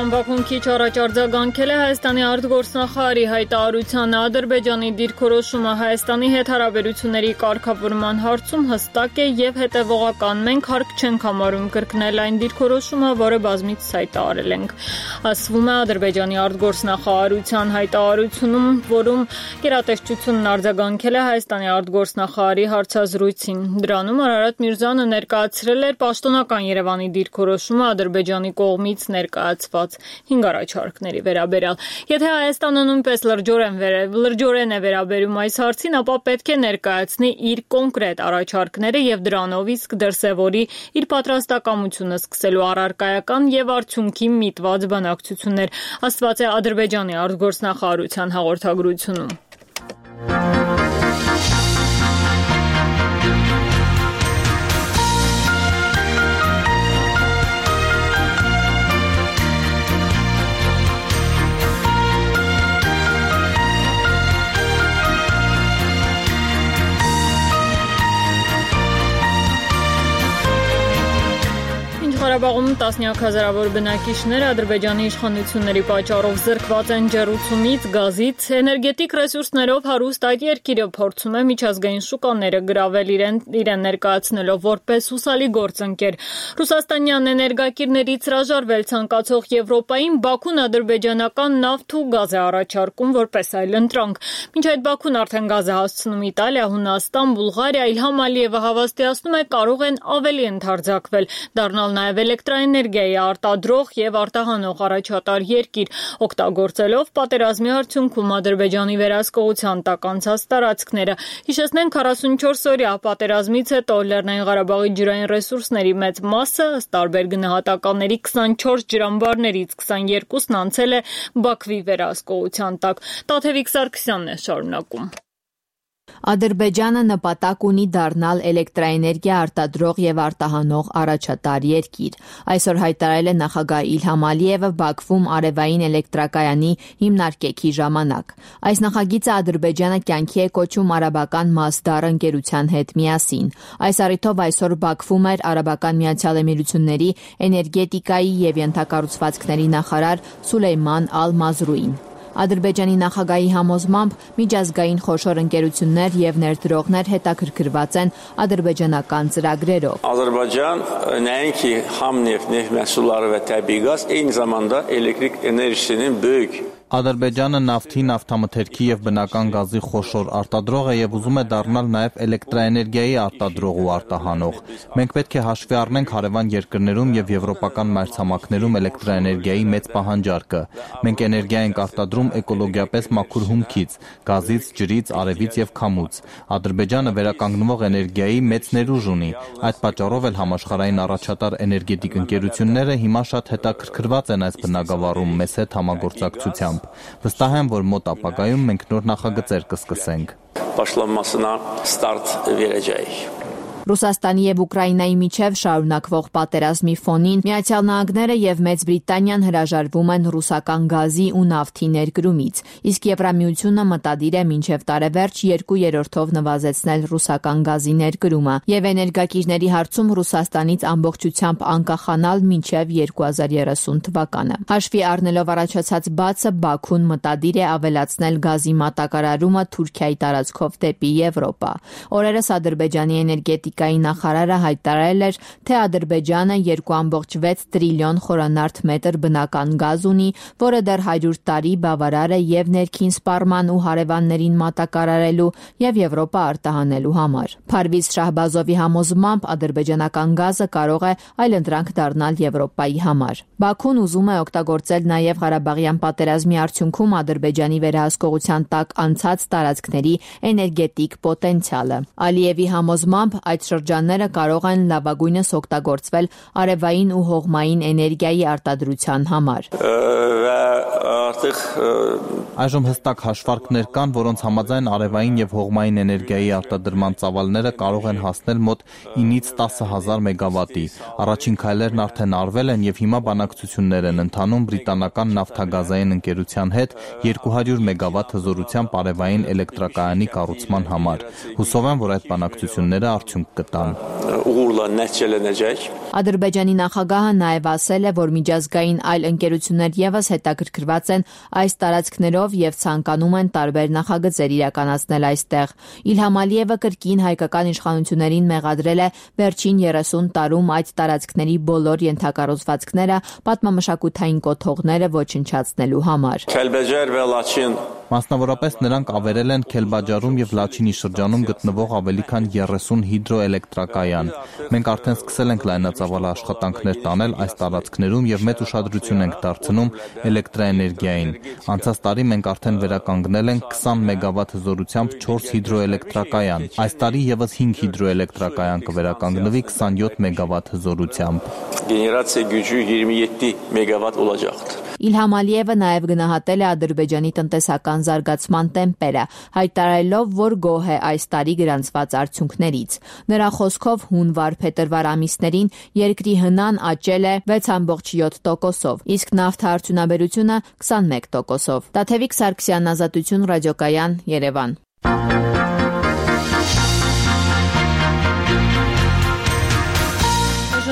Բաքուն քիչ առաջ արձագանքել է Հայաստանի արտգործնախարարի հայտարարությանը Ադրբեջանի դիրքորոշումը Հայաստանի հետ հարաբերությունների կարգավորման հարցում հստակ է եւ հետեւողական։ Մենք հարկ չենք համարում կրկնել այն դիրքորոշումը, որը բազմիցս հայտարարել ենք։ Ասվում է Ադրբեջանի արտգործնախարարության հայտարարությունում, որում գերատեսչությունն արձագանքել է Հայաստանի արտգործնախարարի հարցազրույցին։ Դրանում Արարատ Միրզյանը ներկայացրել էր պաշտոնական Երևանի դիրքորոշումը Ադրբեջանի կողմից ներկայացված 5 առաջարկների վերաբերյալ։ Եթե Հայաստանը նույնպես լրջորեն է վերաբերում այս հարցին, ապա պետք է ներկայացնի իր կոնկրետ առաջարկները եւ դրանով իսկ դրսեւորի իր պատրաստակամությունը սկսելու առարկայական եւ արդյունքի միտված բանակցություններ, ասված է Ադրբեջանի արտգործնախարարության հաղորդագրությունում։ Ղարաբաղում տասնյակ հազարավոր բնակիչներ Ադրբեջանի իշխանությունների պատճառով զրկված են ջեռուցումից, գազից, էներգետիկ ռեսուրսներով հարուստ այդ երկիրը փորձում է միջազգային շուկաները գրավել իրեն ներկայացնելով որպես հուսալի գործընկեր։ Ռուսաստանյան էներգակիրներից հրաժարվել ցանկացող Եվրոպային Բաքուն ադրբեջանական նավթ ու գազ է առաջարկում որպես այլընտրանք։ Մինչ այդ Բաքուն արդեն գազ է հասցնում Իտալիա, Հունաստան, Բուլղարիա, Իլհամ Ալիևը հավաստիացնում է կարող են ավելի ընդարձակվել, դառնալ նաև էլեկտրաէներգիայի արտադրող եւ արտահանող առաջատար երկիր, օգտագործելով պատերազմի արդյունքում Ադրբեջանի վերահսկողության տակ անցած տարածքները։ Հիշեցնենք 44-օրյա պատերազմից հետո Լեռնային Ղարաբաղի ջրային ռեսուրսների մեծ մասը, ըստ տարբեր գնահատականների 24 ջրամբարներից 22-ն անցել է Բաքվի վերահսկողության տակ։ Տաթևիկ Սարգսյանն է շարունակում։ Ադրբեջանը նպատակ ունի դառնալ էլեկտրաէներգիա արտադրող եւ արտահանող առաջատար երկիր։ Այսօր հայտարարել է նախագահ Իլհամ Ալիևը Բաքվում արևային էլեկտրակայանի հիմնարկեքի ժամանակ։ Այս նախագիծը Ադրբեջանը կյանքի է կոչում արաբական Մասդար ընկերության հետ միասին։ Այս առիթով այսօր Բաքվում էր Արաբական Միացյալ Էմիրությունների էներգետիկայի եւ ենթակառուցվածքների նախարար Սուլեյման Ալ-Մազրուին։ Ադրբեջանի նախագահի համոզմամբ միջազգային խոշոր ընկերություններ եւ ներդրողներ հետաքրքրված են ադրբեջանական ծրագրերով։ Ադրբեջան nəinki ham neft məhsulları və təbii qaz, eyni zamanda elektrik enerjisinin böyük Ադրբեջանը նավթի, նավթամթերքի եւ բնական գազի խոշոր արտադրող է եւ ուզում է դառնալ նաեւ էլեկտրաէներգիայի արտադրող ու արտահանող։ Մենք պետք է հաշվի առնենք հարևան երկրներում եւ եվրոպական մայրցամաքներում էլեկտրաէներգիայի մեծ պահանջարկը։ Մենք էներգիա ենք արտադրում էկոլոգիապես մաքուր հումքից, գազից, ջրից, արևից եւ քամուց։ Ադրբեջանը վերականգնվող էներգիայի մեծ ներուժ ունի։ Այդ պատճառով էլ համաշխարհային առաջատար էներգետիկ ընկերությունները հիմա շատ հետաքրքրված են այս բնագավառում մեզ հետ համագործակցությամբ։ Վստահ եմ, որ մոտ ապագայում մենք նոր նախագծեր կսկսենք։ Başlanmasına start verəcəyik։ Ռուսաստանի եւ Ուկրաինայի միջև շարունակվող պատերազմի ֆոնին Միացյալ Նահանգները եւ Մեծ Բրիտանիան հրաժարվում են ռուսական գազի ու նավթի ներկրումից, իսկ Եվրամիությունը մտադիր է մինչև տարեվերջ 2/3-ով նվազեցնել ռուսական գազի ներկրումը եւ էներգակիրների հարցում Ռուսաստանից ամբողջությամբ անկախանալ մինչև 2030 թվականը։ Հաշվի առնելով առաջացած բացը, Բաքուն մտադիր է ավելացնել գազի մատակարարումը Թուրքիայի տարածքով դեպի Եվրոպա։ Օրերս Ադրբեջանի էներգետիկ նախարարը հայտարարել էր, թե Ադրբեջանը 2.6 տրիլիոն խորանարդ մետր բնական գազ ունի, որը դեռ 100 տարի բավարար է եւ ներքին սպառման ու հարևաններին մատակարարելու եւ Եվրոպա արտահանելու համար։ Փարվիզ Շահբազովի համոզմամբ ադրբեջանական գազը կարող է այլընտրանք դառնալ Եվրոպայի համար։ Բաքուն ուզում է օգտագործել նաեւ Ղարաբաղյան պատերազմի արդյունքում Ադրբեջանի վերահսկողության տակ անցած տարածքների էներգետիկ պոտենցիալը։ Ալիևի համոզմամբ այդ այդ շրջանները կարող են լավագույնս օգտագործվել արևային ու հողմային էներգիայի արտադրության համար։ Այժմ հստակ հաշվարկներ կան, որոնց համաձայն արևային եւ հողմային էներգիայի արտադրման ծավալները կարող են հասնել մոտ 9-ից 10,000 մեգավատի։ Առաջին քայլերն արդեն արվել են եւ հիմա բանակցություններ են ընթանում բրիտանական նավթագազային ընկերության հետ 200 մեգավատ հզորությամբ արևային էլեկտրակայանի կառուցման համար։ Հուսով եմ, որ այդ բանակցությունները արդյունք կտան։ Ադրբեջանի նախագահը նաև ասել է, որ միջազգային այլ ընկերություններ ևս հետաքրքրված են այս տարածքներով եւ ցանկանում են տարբեր նախագծեր իրականացնել այստեղ։ Իլհամ Ալիևը կրկին հայկական իշխանություններին մեղադրել է վերջին 30 տարում այդ տարածքների բոլոր ենթակառուցվածքները պատմամշակութային կոթողները ոչնչացնելու համար։ Մասնավորապես նրանք ավերել են Քելբաջարում եւ Լաչինի շրջանում գտնվող ավելի քան 30 հիդրոէլեկտրակայան։ Մենք արդեն սկսել ենք լայնածավալ աշխատանքներ տանել այս տարածքներում եւ մեծ ուշադրություն ենք դարձնում էլեկտրաէներգիային։ Անցած տարի մենք արդեն վերականգնել ենք 20 մեգավատ հզորությամբ 4 հիդրոէլեկտրակայան։ Այս տարի եւս 5 հիդրոէլեկտրակայան կվերականգնվի 27 մեգավատ հզորությամբ։ Գեներացիա gücü 27 մեգավատ olacaqdır։ Իլհամ Ալիևը նաև գնահատել է Ադրբեջանի տնտեսական զարգացման տեմպերը, հայտարարելով, որ գոհ է այս տարի գրանցված արդյունքներից։ Նրա խոսքով հունվար-փետրվար ամիսներին երկրի հնան աճել է 6.7%-ով, իսկ նավթարդյունաբերությունը 21%-ով։ Տաթևիկ Սարգսյան, Ազատություն, Ռադիոկայան, Երևան։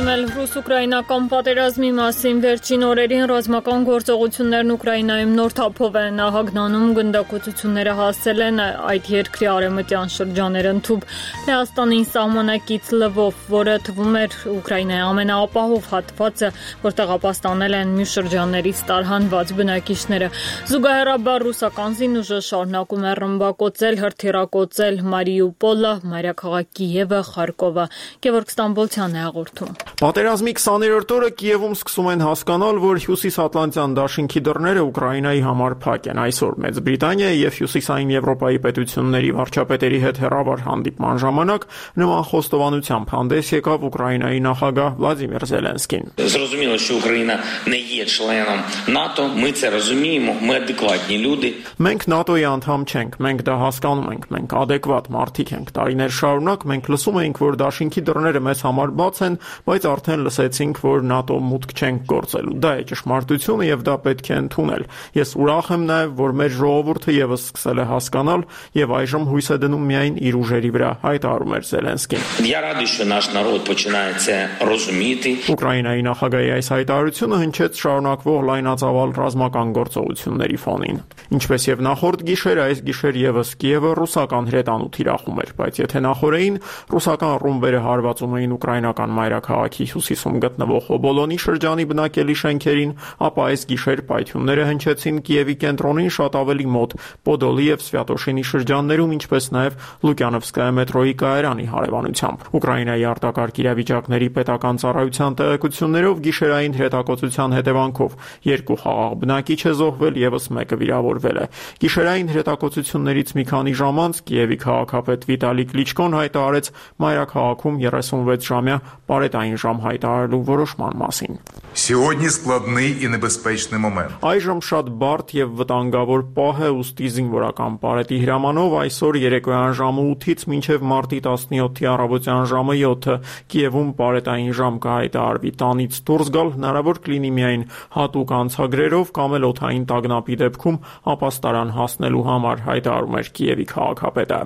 Ռուս-ուկրաինական պատերազմի մասին վերջին օրերին ռազմական գործողություններն Ուկրաինայում նոր թափով են ահագնանում, գնդակոծությունները հասել են այդ երկրի արևմտյան շրջաններ ընդհուպ Լեհաստանին սահմանակից Լվով, որը թվում էր Ուկրաինայի ամենաապահով հատվածը, որտեղ ապաստանել են մյուս շրջաններից տարհանված բնակիչները։ Զուգահեռաբար ռուսական զինուժը շարունակում է ռմբակոծել, հրթիռակոծել Մարիուպոլը, մայրաքաղաք Կիևը, Խարկովը։ Գևորգ Ստամբոլցյանն է հաղորդում։ Պատերազմի 20-րդ օրը Կիևում սկսում են հասկանալ, որ հյուսիսատլանտյան դաշինքի դռները Ուկրաինայի համար փակ են։ Այսօր Մեծ Բրիտանիայի եւ Հյուսիսային Եվրոպայի պետությունների վարչապետերի հետ հեռավար հանդիպման ժամանակ նման խոստովանությամբ հանդես եկավ Ուկրաինայի նախագահ Վլադիմիր Զելենսկին։ Зрозуміло, що Україна не є членом НАТО, ми це розуміємо, ми адекватні люди. Մենք ՆԱՏՕ-ի անդամ չենք, մենք դա հասկանում ենք, մենք adekvat մարդիկ ենք։ Տարիներ շարունակ մենք լսում էինք, որ դաշինքի դռները մեզ համար բաց են, բայց արդեն լսեցինք, որ ՆԱՏՕ մուտք չենք գործելու։ Դա է ճշմարտությունը եւ դա պետք է ընդունել։ Ես ուրախ եմ նաեւ, որ մեր ժողովուրդը եւս սկսել է հասկանալ եւ այժմ հույս է դնում միայն իր ուժերի վրա, հայտարարում էր Զելենսկին։ Я радий, що наш народ починає це розуміти. Ուկրաինայի նախագահի այս հայտարարությունը հնչեց շարունակվող լայնածավալ ռազմական գործողությունների ֆոնին։ Ինչպես եւ նախորդ գիշեր, այս գիշեր եւս Կիևը ռուսական հրետանու թիրախում էր, բայց եթե նախորդին ռուսական ռումբերը հարվածում էին ուկրաինական մայրաքաղաքի հյուսիսում գտնվող Օբոլոնի շրջանի բնակելի շենքերին, ապա այս գիշեր պայթյունները հնչեցին Կիևի կենտրոնին շատ ավելի մոտ Պոդոլի եւ Սվյատոշինի շրջաններում, ինչպես նաեւ Լուկյանովսկայա մետրոյի կայարանի հարևանությամբ։ Ուկրաինայի արտակարգ իրավիճակների պետական ծառայության տեղեկություններով գիշերային հրետակոծության հետևանքով 2 խաղաղ բնակիչ է զոհվել, եւս մեկը վիրավորվել է։ Գիշերային հրետակոծություններից մի քանի ժամ անց Կիևի քաղաքապետ Վիտալի Կլիչկոն հայտարարեց մայրաքաղաքում 36-ժամյա պարետային ժամ հայտարարելու որոշման մասին։ Сьогодні складний і небезпечний момент. Այժմ շատ բարդ եւ վտանգավոր պահ է, ուստի զինվորական պարետի հրամանով այսօր երեկոյան ժամը 8-ից մինչև մարտի 17-ի առավոտյան ժամը 7-ը Կիևում պարետային ժամ կհայտարարվի։ Տանից դուրս գալ հնարավոր կլինի միայն հատուկ անցագրերով կամ էլ օդային տագնապի դեպքում ապաստարան հասնելու համար, հայտարարում էր Կիևի քաղաքապետը։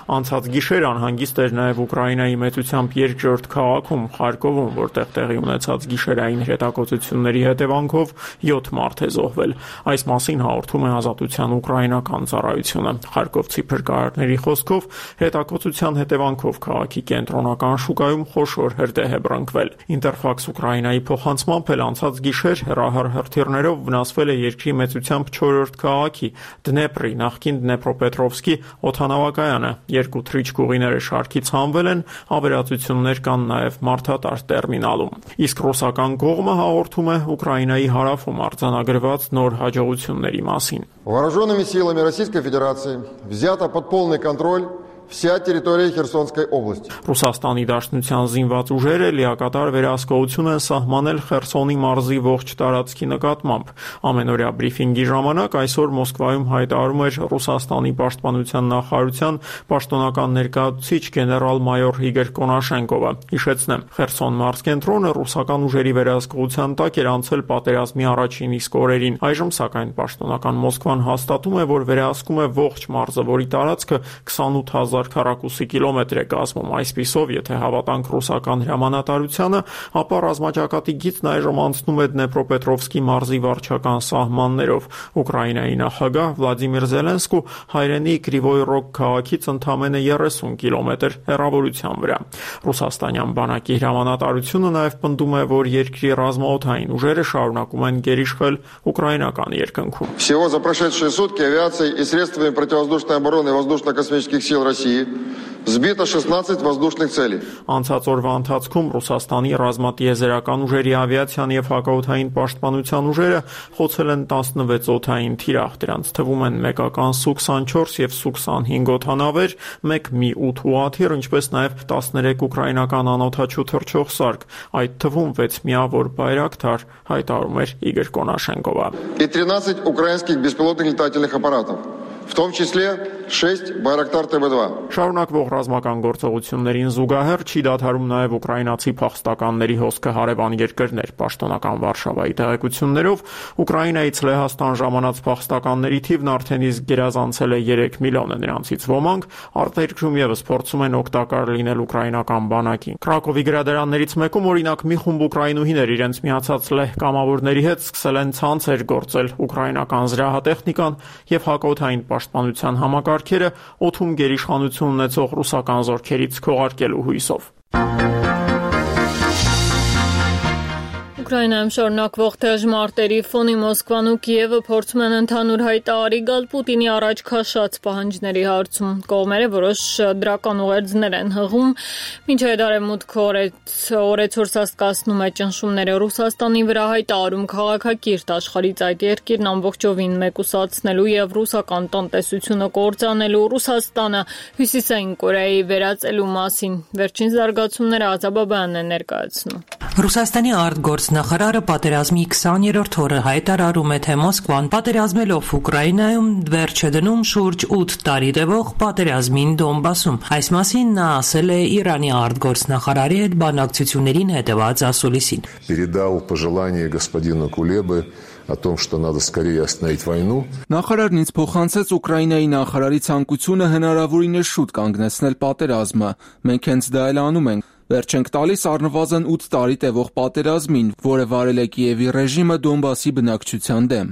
Անցած գիշեր անհանգիստ էր նաև Ուկրաինայի մեծությամբ երկրորդ քաղաքում Խարկովում, որտեղ տեղի ունեցած գիշերային հրետակոծությունների հետևանքով 7 մարդ է զոհվել։ Այս մասին հաղորդում է Ազատության ուկրաինական ծառայությունը։ Խարկովցի փրկարարների խոսքով հրետակոծության հետևանքով քաղաքի կենտրոնական շուկայում խոշոր հրդեհ է բռնկվել։ Ինտերֆաքս Ուկրաինայի փոխանցմամբ էլ անցած գիշեր հեռահար հրթիռներով վնասվել է երկրի մեծությամբ 4-րդ քաղաքի Դնեպրի, նախկին Դնեպրոպետրովսկի օդանավակայանը երկու թռիչքուղիները շարքից հանվել են, ավերածություններ կան նաև մարդատար տերմինալում։ Իսկ ռուսական կողմը հաղորդում է Ուկրաինայի հարավում արձանագրված նոր հաջողությունների մասին։ Вооруженными силами Российской Федерации взята под полный контроль вся территория Херсонской области. Ռուսաստանի Դաշնության զինված ուժերը լիակատար վերահսկողություն են սահմանել Խերսոնի մարզի ողջ տարածքի նկատմամբ։ Ամենօրյա բրիֆինգի ժամանակ այսօր Մոսկվայում հայտարարում էր Ռուսաստանի պաշտպանության նախարարության պաշտոնական ներկայացուցիչ գեներալ-մայոր Իգոր Կոնաշենկովը։ Հիշեցնեմ, Խերսոն մարզկենտրոնը ռուսական ուժերի վերահսկողության տակ էր անցել պատերազմի առաջին իսկ օրերին։ Այժմ սակայն պաշտոնական Մոսկվան հաստատում է, որ վերահսկում է ողջ մարզը, որի տարածքը 28,000 քառակուսի կիլոմետր է կազմում։ Այսպիսով, եթե հավատանք ռուսական հրամանատարությանը, ապա ռազմաճակատի գիծն այժմ անցնում է Դնեպրոպետրովսկի մարզի վարչական սահմաններով։ Ուկրաինայի նախագահ Վլադիմիր Զելենսկու հայրենի Կրիվոյ Ռոգ քաղաքից ընդամենը 30 կիլոմետր հեռավորության վրա։ Ռուսաստանյան բանակի հրամանատարությունը նաև պնդում է, որ երկրի ռազմաօդային ուժերը շարունակում են գերիշխել ուկրաինական երկնքում։ Всего за прошедшие сутки авиацией и средствами противовоздушной обороны воздушно-космических сил России Сбито 16 воздушных целей. Անցած օրվա ընթացքում Ռուսաստանի ռազմատիեզերական ուժերի ավիացիան եւ հակաօդային պաշտպանության ուժերը խոցել են 16 օդային թիրախ, դրանց թվում են մեկական Su-24 եւ Su-25 օդանավեր, մեկ Mi-8 ուղաթիռ, ինչպես նաեւ 13 ուկրաինական անօդաչու թռչող սարք, այդ թվում 6 միավոր բայրակտար, հայտարարում էր Իգոր Կոնաշենկովը։ И 13 украинских беспилотных летательных аппаратов. В том числе 6 Байрактар ТБ-2։ Շարունակվող ռազմական գործողություններին զուգահեռ չի դադարում նաև ուկրաինացի փախստականների հոսքը հարևան երկրներ։ Պաշտոնական Վարշավայի տեղեկություններով Ուկրաինայից Լեհաստան ժամանած փախստականների թիվն արդեն իսկ գերազանցել է 3 միլիոնը, նրանցից ոմանք արտերկրում եւս փորձում են օգտակար լինել ուկրաինական բանակին։ Կրակովի գրադարաններից մեկում օրինակ մի խումբ ուկրաինուհիներ իրենց միացած լեհ կամավորների հետ սկսել են ցանցեր գործել ուկրաինական զրահատեխնիկան եւ հակաօդային պաշտպանության համակարգերը օդում գերիշխանություն ունեցող ռուսական զորքերից քողարկելու հույսով։ Ուկրաինայում շարունակվող դժմարտերի ֆոնի Մոսկվան ու Կիևը փորձում են ընդհանուր հայտարարի գալ Պուտինի առաջ քաշած պահանջների հարցում։ Կողմերը որոշ դրական ուղերձներ են հղում, մինչև արևմուտքը օրեցօր սաստկացնում է ճնշումները Ռուսաստանի վրա, հայտարարում քաղաքակիրթ աշխարհից այդ երկիրն ամբողջովին մեկուսացնելու եւ ռուսական տնտեսությունը կործանելու, Ռուսաստանը Հյուսիսային Կորեայի վերածելու մասին։ Վերջին զարգացումները Ազաբաբյանն է ներկայացնում։ Ռուսաստանի արտգործնախարարը պատերազմի 20-րդ օրը հայտարարում է, թե Մոսկվան պատերազմելով Ուկրաինայում վերջ է դնում շուրջ 8 տարի տևող պատերազմին Դոնբասում։ Այս մասին նա ասել է Իրանի արտգործնախարարի հետ բանակցություններին հետևած ասուլիսին։ Передал пожелание господину Кулебы о том, что надо скорее остановить войну. Նախարարն ինձ փոխանցեց Ուկրաինայի նախարարի ցանկությունը հնարավորինս շուտ կանգնեցնել պատերազմը։ Մենք հենց դա էլ անում ենք։ Վերջ ենք տալիս առնվազն 8 տարի տևող պատերազմին, որը վարել է Կիևի ռեժիմը Դոնբասի բնակչության դեմ։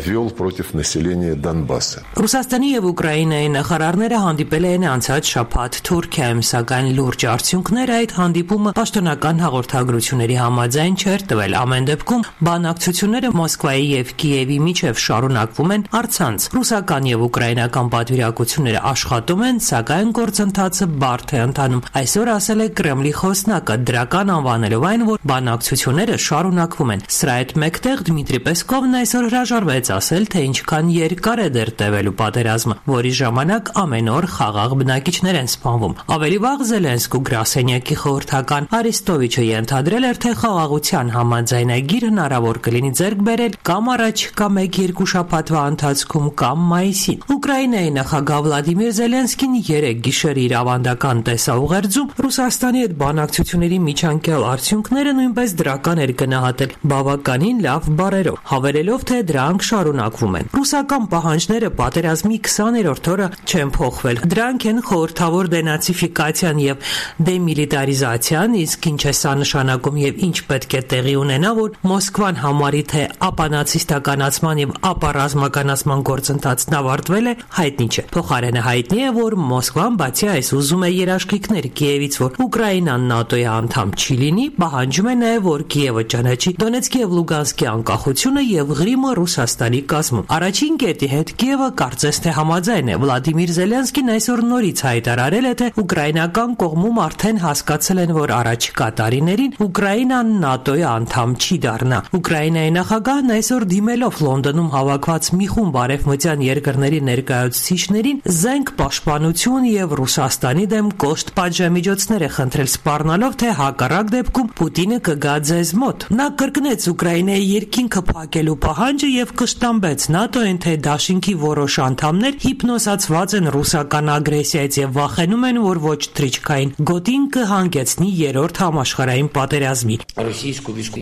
Вел против населения Донбасса. Ռուսաստանի եւ Ուկրաինայի նախարարները հանդիպել են անցած շաբաթ Թուրքիայում, սակայն լուրջ արդյունքներ այդ հանդիպումը պաշտոնական հաղորդագրությունների համաձայն չէր տվել։ Ամեն դեպքում բանակցությունները Մոսկվայի եւ Կիևի միջև շարունակվում են առցանց։ Ռուսական եւ ուկրաինական պատվիրակությունները աշխատում են, սակայն գործընթացը բարդ է ընթանում։ Այսօր ասել է Կրեմլի խոսնակը, դրական անվանելով այն, որ բանակցությունները շարունակվում են։ Սրա հետ մեկտեղ Դմիտրի Պեսկովն այսօր հրաժարվեց ասել, թե ինչքան երկար է դեռ տևելու պատերազմը, որի ժամանակ ամեն օր խաղաղ բնակիչներ են սպանվում։ Ավելի վաղ Զելենսկու գրասենյակի խորհրդական Արիստովիչը ենթադրել էր, թե խաղաղության համաձայնագիր հնարավոր կլինի ձեռք բերել կամ առաջիկա 1-2 շաբաթվա ընթացքում կամ մայիսին։ Ուկրաինայի նախագահ Վլադիմիր Զելենսկին 3 գիշեր իր ավանդական տեսաուղերձում Ռուսաստանի հետ բանակցությունների միջանկյալ արդյունքները նույնպես դրական էր գնահատել բավականին լավ բառերով, հավելելով, թե դրանք շարունակվում են։ Ռուսական պահանջները պատերազմի 20-րդ օրը չեն փոխվել։ Դրանք են խորհրդավոր դենացիֆիկացիան եւ դեմիլիտարիզացիան, իսկ ինչ է սա նշանակում եւ ինչ պետք է տեղի ունենա, որ Մոսկվան համարի, թե ապանացիստականացման եւ ապառազմականացման գործընթացն ավարտվել է, հայտնի չէ։ Փոխարենը հայտնի է, որ Մոսկվան բացի այս ուզում է երաշխիքներ Կիևից, որ Ուկրաինան Ուկրաինան ՆԱՏՕ-ի անդամ չի լինի, պահանջում է նաև, որ Կիևը ճանաչի Դոնեցկի եւ Լուգանսկի անկախությունը եւ Ղրիմը Ռուսաստանի կազմում։ Առաջին կետի հետ Կիևը կարծես թե համաձայն է։ Վլադիմիր Զելենսկին այսօր նորից հայտարարել է, թե ուկրաինական կողմում արդեն հասկացել են, որ առաջիկա տարիներին Ուկրաինան ՆԱՏՕ-ի անդամ չի դառնա։ Ուկրաինայի նախագահն այսօր դիմելով Լոնդոնում հավաքված մի խումբ արևմտյան երկրների ներկայացուցիչներին զենք պաշտպանություն եւ Ռուսաստանի դեմ կոշտ պատժամիջոցներ է խնդրել սպառնալով, թե հակառակ դեպքում Պուտինը կգա ձեզ մոտ։ Նա կրկնեց Ուկրաինայի երկինքը փակելու պահանջը եւ կշտամբեց ՆԱՏՕ-ին, թե դաշինքի որոշ անդամներ հիպնոսացված են ռուսական ագրեսիայից եւ վախենում են, որ ոչ թրիչքային գոտին կհանգեցնի երրորդ համաշխարհային պատերազմի։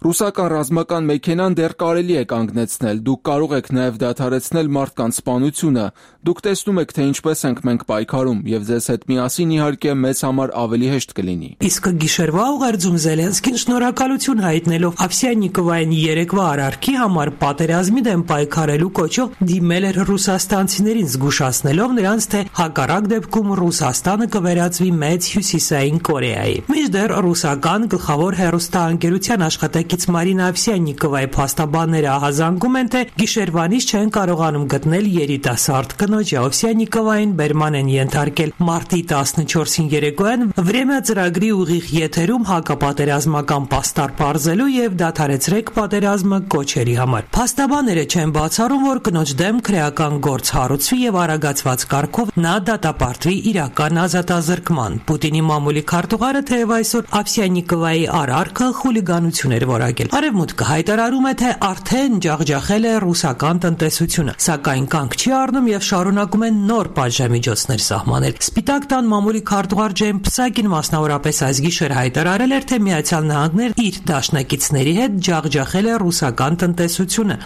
Ռուսական ռազմական մեքենան դեռ կարելի է կանգնեցնել։ Դուք կարող եք նաև դադարեցնել մարդկանց սպանությունը։ Դուք տեսնում եք, թե ինչպես ենք մենք պայքարում, եւ ձեզ հետ միասին իհարկե մեզ համար ավելի հեշտ կլինի։ Իսկ գիշերվա ուղերձում Զելենսկին շնորհակալություն հայտնելով Ավսյանիկովային երեկվա արարքի համար պատերազմի դեմ պայքարելու կոչով դիմել էր ռուսաստանցիներին, զգուշացնելով նրանց, թե հակառակ դեպքում Ռուսաստանը կվերածվի մեծ հյուսիսային Կորեայի։ Մինչդեռ ռուսական գլխավոր հեռուստաընկերության աշխատակից Մարինա Ավսյանիկովայի փաստաբանները ահազանգում են, թե գիշերվանից չեն կարողանում գտնել երիտասարդ կնոջ Ավսյանիկովային բերման են ենթարկել մարտի 14-ին երեկոյան Վրեմյա ծրագրի ուղիղ եթերում հակապատերազմական պաստառ բարձելու եւ դադարեցրեք պատերազմը կոչերի համար։ Փաստաբանները չեն բացառում, որ կնոջ դեմ քրեական գործ հարուցվի եւ արագացված կարգով նա դատապարտվի իրական ազատազրկման։ Պուտինի մամուլի քարտուղարը թեև այսօր Ավսյանիկովայի արարքը խուլիգանություն էր որակել։ Արևմուտքը հայտարարում է, թե արդեն ջախջախել է ռուսական տնտեսությունը, սակայն կանգ չի առնում եւ շարունակում են նոր պատժամիջոցներ սահմանել։ Սպիտակ տան մամուլի քարտուղար Ջեյմ Փսակին մասնավորապես այս գիշեր հայտարարել էր, թե Միացյալ Նահանգներ իր դաշնակիցների հետ ջախջախել է ռուսական տնտեսությունը։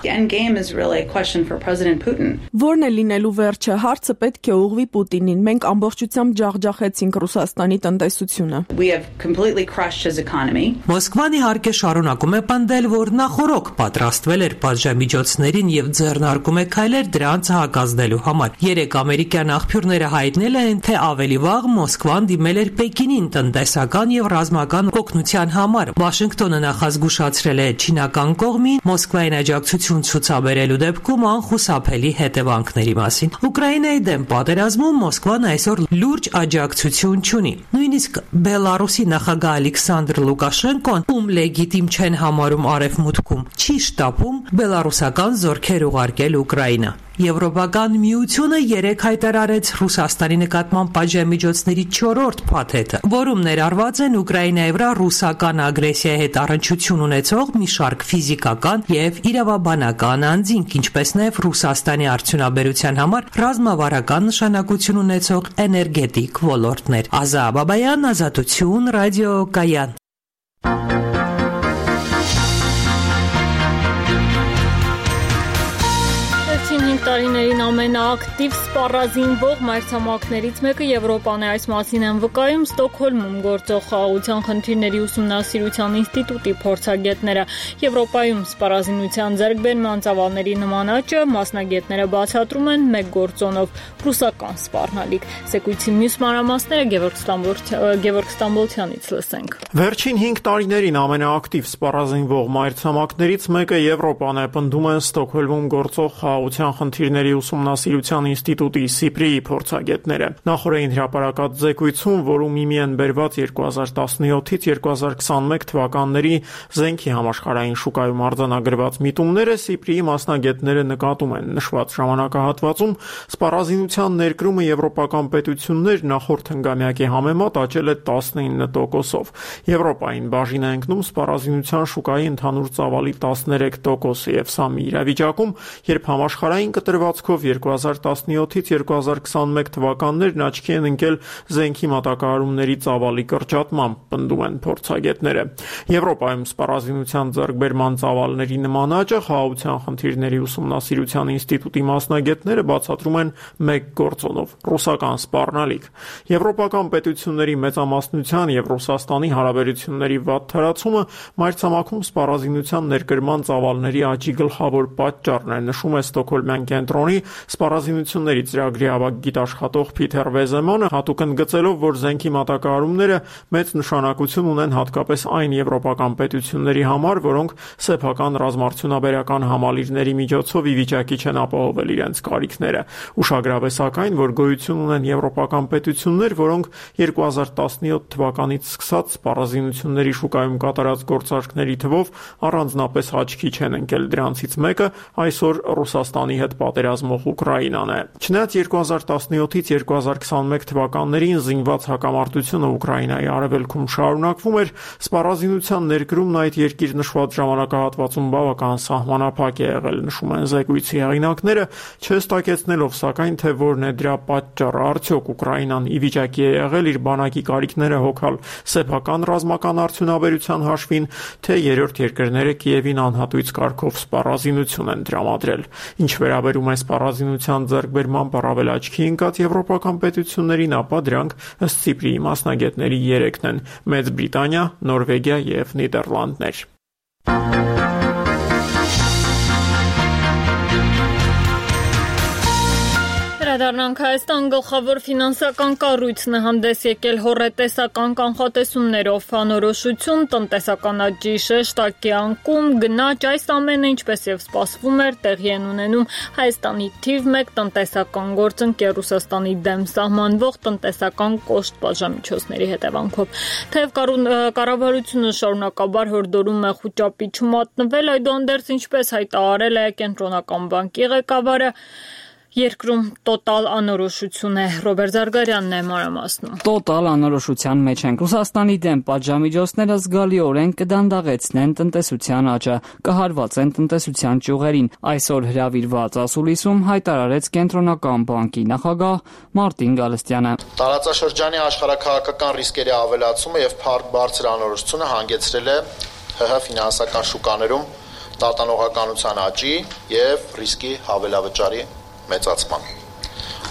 Որն է լինելու վերջը հարցը պետք է ուղղվի Պուտինին։ Մենք ամբողջությամբ ջախջախեցինք Ռուսաստանի տնտեսությունը։ Մոսկվան իհարկե շարունակում է պնդել, որ նախորոք պատրաստվել էր պատժամիջոցներին եւ ձեռնարկում է քայլեր դրանց հակազդելու համար։ Երեք ամերիկյան աղբյուրները հայտնել են, թե ավելի վաղ Մոսկվան դիմել էր Պեկինին տնտեսական եւ ռազմական օգնության համար։ Վաշինգտոնը նախազգուշացրել է չինական կողմին Մոսկվային աջակցություն ցուցաբերելու դեպքում անխուսափելի հետևանքների մասին։ Ուկրաինայի դեմ պատերազմում Մոսկվան այսօր լուրջ աջակցություն չունի։ Նույնիսկ Բելարուսի նախագահ Ալեքսանդր Լուկաշենկոն, ում լեգիտիմ չեն համարում արևմուտքում, չի շտապում բելարուսական զորքեր ուղարկել Ուկրաինա։ Եվրոպական միությունը երեկ հայտարարեց Ռուսաստանի նկատմամբ պատժամիջոցների 4-րդ փաթեթը, որում ներառված են Ուկրաինայի վրա ռուսական ագրեսիայի հետ առնչություն ունեցող մի շարք ֆիզիկական եւ իրավաբանական անձինք, ինչպես նաեւ Ռուսաստանի արդյունաբերության համար ռազմավարական նշանակություն ունեցող էներգետիկ ոլորտներ։ Ազա Բաբայան, Ազատություն, Ռադիո Կայան։ Տարիներին ամենաակտիվ սպառազինվող մայրցամաքներից մեկը Եվրոպան է։ Այս մասին են վկայում Ստոկհոլմում գործող խաղաղության խնդիրների ուսումնասիրության ինստիտուտի փորձագետները։ Եվրոպայում սպառազինության ձեռքբերման ծավալների նման աճը մասնագետները բացատրում են մեկ գործոնով՝ ռուսական սպառնալիք։ Զեկույցի մյուս մանրամասները Գևորգ Ստամբոլցյանից լսենք։ Վերջին 5 տարիներին ամենաակտիվ սպառազինվող մայրցամաքներից մեկը Եվրոպան է, պնդում են Ստոկհոլմում գործող խաղաղության խնդիրների ուսումնասիրության ինստիտուտի Սիպրիի փորձագետները։ Նախորդին հրապարակած զեկույցում, որում իմի են բերված 2017-ից 2021 թվականների զենքի համաշխարհային շուկայում արձանագրված միտումները, Սիպրիի մասնագետները նկատում են նշված ժամանակահատվածում սպառազինության ներկրումը եվրոպական պետություններ նախորդ հնգամյակի համեմատ աճել է 19%-ով։ Եվրոպային բաժին է ընկնում սպառազինության շուկայի ընդհանուր ծավալի 13%-ը, եւ սա մի իրավիճակում, երբ համաշխարհային կտրվածքով 2017-ից 2021 թվականներն աչքի են ընկել զենքի մատակարարումների ծավալի կրճատմամբ, պնդում են փորձագետները։ Եվրոպայում սպառազինության ձեռքբերման ծավալների նման աճը խաղաղության խնդիրների ուսումնասիրության ինստիտուտի մասնագետները բացատրում են մեկ գործոնով՝ ռուսական սպառնալիք։ Եվրոպական պետությունների մեծամասնության եւ Ռուսաստանի հարաբերությունների վատ թարացումը մայրցամաքում սպառազինության ներկրման ծավալների աճի գլխավոր պատճառն է, նշում է Ստոկհոլմյան կենտրոնի սպառազինությունների ծրագրի ավագ գիտաշխատող Փիթեր Վեզեմանը հատուկ ընդգծելով, որ զենքի մատակարարումները մեծ նշանակություն ունեն հատկապես այն եվրոպական պետությունների համար, որոնք սեփական ռազմարդյունաբերական համալիրների միջոցով ի վիճակի չեն ապահովել իրենց կարիքները։ Ուշագրավ է սակայն, որ գոյություն ունեն եվրոպական պետություններ, որոնք 2017 թվականից սկսած սպառազինությունների շուկայում կատարած գործարքների թվով առանձնապես աչքի չեն ընկել։ Դրանցից մեկը այսօր Ռուսաստանի հետ պատերազմող Ուկրաինան է։ Չնայած 2017-ից 2021 թվականներին զինված հակամարտությունը Ուկրաինայի արևելքում շարունակվում էր, սպառազինության ներկրումն այդ երկիր նշված ժամանակահատվածում բավական սահմանափակ է եղել, նշում են զեկույցի հեղինակները, չհստակեցնելով սակայն, թե որն է դրա պատճառը, արդյոք Ուկրաինան ի վիճակի է եղել իր բանակի կարիքները հոգալ սեփական ռազմական արդյունաբերության հաշվին, թե երրորդ երկրները Կիևին անհատույց կարգով սպառազինություն են տրամադրել։ Ինչ վերաբերում է սպառազինության ձեռքբերման առավել աչքի ընկած եվրոպական պետություններին, ապա դրանք ըստ Սիպրիի մասնագետների 3-ն են՝ Մեծ Բրիտանիա, Նորվեգիա եւ Նիդերլանդներ։ Վերադառնանք Հայաստան, գլխավոր ֆինանսական կառույցն է հանդես եկել հոռետեսական կանխատեսումներով, անորոշություն, տնտեսական աճի շեշտակի անկում, գնաճ, այս ամենը ինչպես եւ սպասվում էր, տեղի են ունենում Հայաստանի թիվ 1 տնտեսական գործընկեր Ռուսաստանի դեմ սահմանվող տնտեսական կոշտ բաժամիջոցների հետևանքով։ Թեև կառավարությունը շարունակաբար հորդորում է խուճապի չմատնվել, այդուհանդերձ ինչպես հայտարարել է Կենտրոնական բանկի ղեկավարը, երկրում տոտալ անորոշություն է։ Ռոբերտ Զարգարյանն է մանրամասնում։ Տոտալ անորոշության մեջ են։ Ռուսաստանի դեմ պատժամիջոցները զգալիորեն կդանդաղեցնեն տնտեսության աճը, կհարվածեն տնտեսության ճյուղերին։ Այսօր հրավիրված ասուլիսում հայտարարեց Կենտրոնական բանկի նախագահ Մարտին Գալստյանը։ Տարածաշրջանի աշխարհաքաղաքական ռիսկերի ավելացումը եւ բարձր անորոշությունը հանգեցրել է ՀՀ ֆինանսական շուկաներում տատանողականության աճի եւ ռիսկի հավելավճարի մեծացման։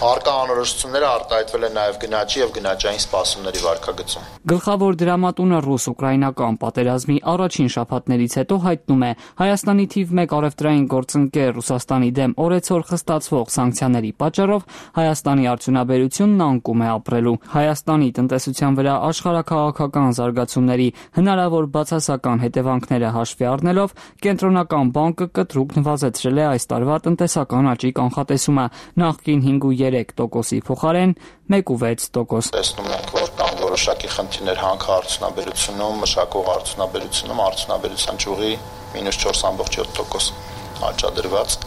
Առկա անորոշությունները արտահայտվել են նաև գնաճի եւ գնաճային սպասումների վարկագծում։ Գլխավոր դրամատունը ռուս-ուկրաինական պատերազմի առաջին շաբաթներից հետո հայտնում է Հայաստանի թիվ 1 առևտրային գործընկեր Ռուսաստանի դեմ օրեցօր խստացվող սանկցիաների պատճառով Հայաստանի արդյունաբերությունն անկում է ապրելու։ Հայաստանի տնտեսության վրա աշխարհաքաղաքական զարգացումների հնարավոր բացասական հետևանքները հաշվի առնելով Կենտրոնական բանկը կտրուկ նվազեցրել է այս տարվա տնտեսական աճի կանխատեսումը նախկին 5.3%-ի փոխարեն 1.6%։ Տեսնում ենք, որ կան որոշակի խնդիրներ հանքարդյունաբերությունում, մշակող արդյունաբերությունում, արդյունաբերության ճյուղի -4.7% աճադրված։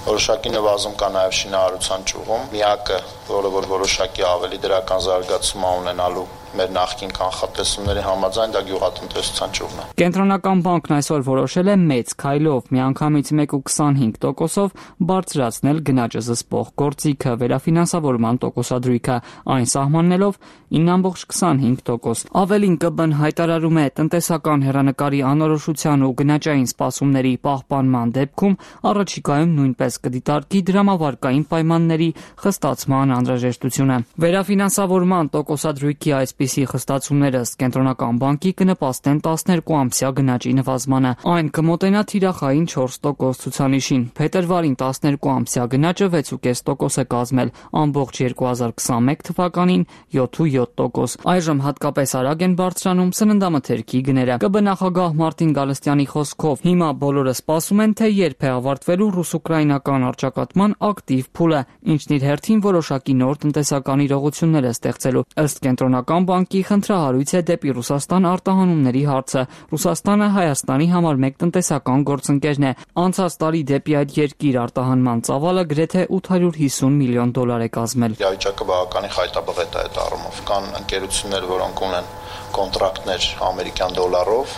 Որոշակի նվազում կա նաև շինարարության ճյուղում։ Միակը, որը որ որոշակի ավելի դրական զարգացում ունենալու մեր նախկին կանխատեսումների համաձայն, դա գյուղատնտեսության ճյուղն է։ Կենտրոնական բանկն այսօր որոշել է մեծ քայլով միանգամից 1.25%-ով բարձրացնել գնաճը զսպող գործիքը վերաֆինանսավորման տոկոսադրույքը, այն սահմանելով 9.25%։ Ավելին ԿԲ-ն հայտարարում է տնտեսական հեռանկարի անորոշության ու գնաճային սպասումների պահպանման դեպքում առաջիկայում նույնպես կդիտարկի դրամավարկային պայմանների խստացման անհրաժեշտությունը։ Վերաֆինանսավորման տոկոսադրույքի այսպիսի խստացումները ըստ Կենտրոնական բանկի կնպաստեն 12-ամսյա գնաճի նվազմանը։ Այն կմոտենա թիրախային 4% ցուցանիշին։ Փետրվարին 12-ամսյա գնաճը 6.5% է կազմել, ամբողջ 2021 թվականին 7.7%։ Այժմ հատկապես արագ են բարձրանում սննդամթերքի գները։ ԿԲ նախագահ Մարտին Գալստյանի խոսքով հիմա բոլորը սպասում են, թե երբ է ավարտվելու ռուս-ուկրաինական առճակատման ակտիվ փուլը, ինչն իր հերթին որոշակի նոր տնտեսական իրողություններ է ստեղծելու։ Ըստ Կենտրոնական բանկի խնդրահարույց է դեպի Ռուսաստան արտահանումների հարցը։ Ռուսաստանը Հայաստանի համար մեկ տնտեսական գործընկերն է։ Անցած տարի դեպի այդ երկիր արտահանման ծավալը գրեթե $850 միլիոն է կազմել։ Իրավիճակը բավականին խայտաբղետ է այդ առումով։ Կան ընկերություններ, որոնք ունեն կոնտրակտներ ամերիկյան դոլարով,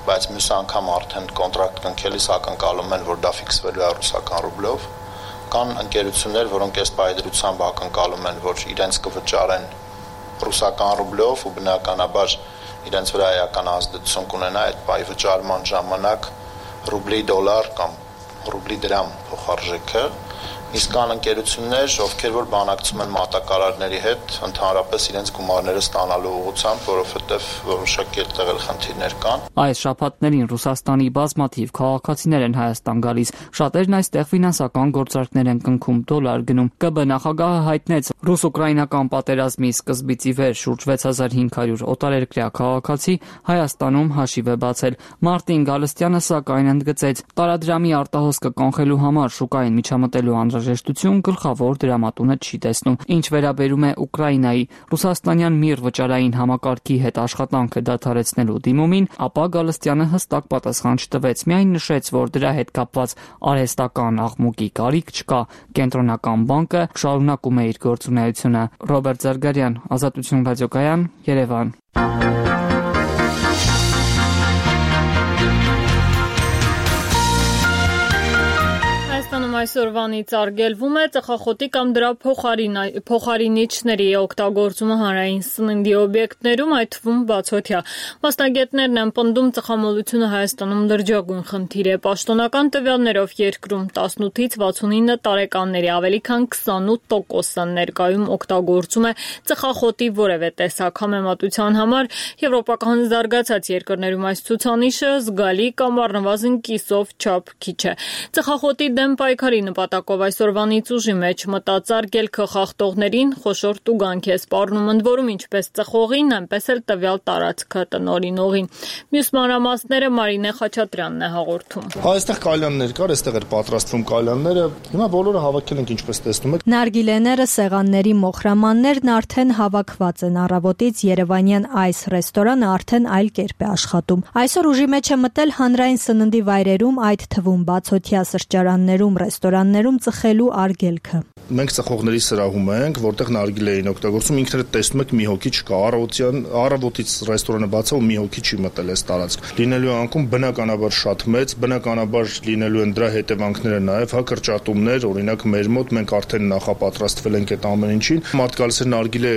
բայց մյուս անգամ արդեն կոնտրակտ կնքելիս ակնկալում են, որ դա ֆիքսվելու է ռուսական ռուբլով։ Կան ընկերություններ, որոնք այս պայդրությամբ ակնկալում են, որ իրենց կվճարեն ռուսական ռուբլով ու բնականաբար իրենց վրա էական ազդեցություն կունենա այդ պայ վճարման ժամանակ ռուբլի դոլար կամ ռուբլի դրամ փոխարժեքը, Իսկ կան ընկերություններ, ովքեր որ բանակցում են մատակարարների հետ, ընդհանրապես իրենց գումարները ստանալու ուղղությամբ, որովհետև որոշակի այդտեղ էլ խնդիրներ կան։ Այս շաբաթներին Ռուսաստանի բազմաթիվ քաղաքացիներ են Հայաստան գալիս։ Շատերն այստեղ ֆինանսական գործարքներ են կնքում, դոլար գնում։ ԿԲ նախագահը հայտնեց, ռուս-ուկրաինական պատերազմի սկզբից ի վեր շուրջ 6500 օտարերկրյա քաղաքացի Հայաստանում հաշիվ է բացել։ Մարտին Գալստյանը սակայն ընդգծեց, տարադրամի արտահոսքը կանխելու համար շուկային միջամտելու անհրաժեշտություն գլխավոր դրամատունը չի տեսնում։ Ինչ վերաբերում է Ուկրաինայի, ռուսաստանյան միռ վճարային համակարգի հետ աշխատանքը դադարեցնելու դիմումին, ապա Գալստյանը հստակ պատասխան չտվեց, միայն նշեց, որ դրա հետ կապված արհեստական աղմուկի կարիք չկա։ Կենտրոնական բանկը շարունակում է իր գործունեությունը։ Ռոբերտ Զարգարյան, Ազատություն ռադիոկայան, Երևան։ Այսօրվանից արգելվում է ծխախոտի կամ դրա փոխարինիչների օգտագործումը հանրային սննդի օբյեկտներում, այդ թվում բացօթյա։ Մասնագետներն են պնդում, ծխամոլությունը Հայաստանում լրջագույն խնդիր է։ Պաշտոնական տվյալներով երկրում 18-ից 69 տարեկանների ավելի քան 28%-ը ներկայում օգտագործում է ծխախոտի որևէ տեսակ։ Համեմատության համար եվրոպական զարգացած երկրներում այս ցուցանիշը զգալի կամ առնվազն կիսով չափ քիչ է։ Ծխախոտի դեմ պայքարի նպատակով այսօրվանից ուժի մեջ մտած արգելքը խախտողներին խոշոր տուգանք է սպառնում, ընդ որում ինչպես ծխողին, այնպես էլ տվյալ տարածքը տնօրինողին։ Մյուս մանրամասները Մարինե Խաչատրյանն է հաղորդում։ Այստեղ կալյաններ կար, այստեղ էր պատրաստվում կալյանները, հիմա բոլորը հավաքել ենք ինչպես տեսնում եք։ Նարգիլեները, սեղանների մոխրամաններն արդեն հավաքված են։ Առավոտից երևանյան այս ռեստորանը արդեն այլ կերպ է աշխատում։ Այսօր ուժի մեջ է մտել հանրային սննդի վայրերում, այդ թվում բացօթյա սրճարաններում, ռեստորաններում ծխելու արգելքը։ Մենք ծխողների սրահում ենք, որտեղ նարգիլե էին օգտագործում, ինքներդ տեսնում եք մի հոգի չկա, առավոտից ռեստորանը բաց է ու մի հոգի չի մտել այս տարածք։ Լինելու է անկում բնականաբար շատ մեծ, բնականաբար լինելու են դրա հետևանքները նաև, կրճատումներ, օրինակ մեր մոտ մենք արդեն նախապատրաստվել ենք այդ ամեն ինչին։ Մարդ գալիս էր նարգիլե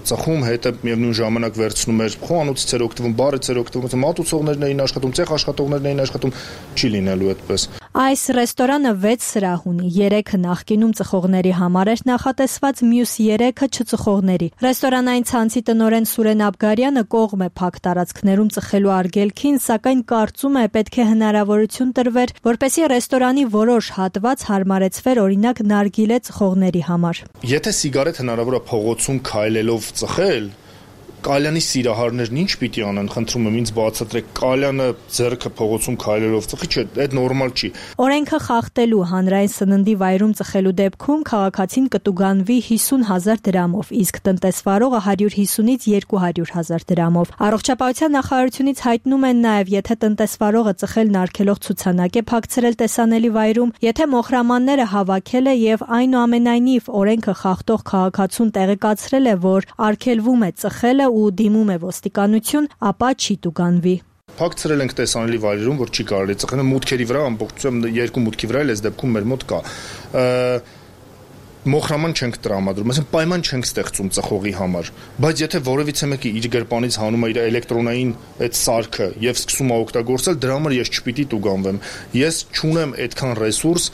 ծխում, հետը միևնույն ժամանակ վերցնում էր խոհանոցից էր օգտվում, բարից էր օգտվում, մատուցողներն էին աշխատում, ցեխ աշխատողներն էին աշխատում, չի լինելու այդպես։ Այս ռեստորանը 6 սրահ ունի, 3-ը նախկինում ծխողների համար էր նախատեսված, մյուս 3-ը չծխողների։ Ռեստորանային ցանցի տնօրեն Սուրեն Աբգարյանը կողմ է փակ տարածքներում ծխելու արգելքին, սակայն կարծում է պետք է հնարավորություն տրվեր, որպեսզի ռեստորանի որոշ հատված հարմարեցվեր օրինակ նարգիլե ծխողների համար։ Եթե սիգարետ հնարավոր է փողոցում քայլելով ծխել, կալյանի սիրահարներն ինչ պիտի անեն, խնդրում եմ ինձ բացատրեք, կալյանը ձեռքը փողոցում քայլելով ծխի, չէ, այդ նորմալ չի։ Օրենքը խախտելու հանրային սննդի վայրում ծխելու դեպքում քաղաքացին կտուգանվի 50,000 դրամով, իսկ տնտեսվարողը 150-ից 200,000 դրամով։ Առողջապահության նախարարությունից հայտնում են նաև, եթե տնտեսվարողը ծխելն արգելող ցուցանակ է փակցրել տեսանելի վայրում, եթե մոխրամանները հավաքել է եւ այնուամենայնիվ օրենքը խախտող քաղաքացուն տեղեկացրել է, որ արգելվում է ծխելը ու դիմում է ոստիկանություն, ապա չի տուգանվի։ Փակցրել ենք տեսանելի վայրերում, որ չի կարելի ծխել, մուտքերի վրա ամբողջությամբ 2 մուտքի վրա էլ այս դեպքում մեր մոտ կա։ Մոխրաման չենք տրամադրում, այսինքն պայման չենք ստեղծում ծխողի համար, բայց եթե որևիցե մեկը իր գրպանից հանում է իր էլեկտրոնային այդ սարքը եւ սկսում է օգտագործել, դրա համար ես չպիտի տուգանվեմ։ Ես չունեմ այդքան ռեսուրս,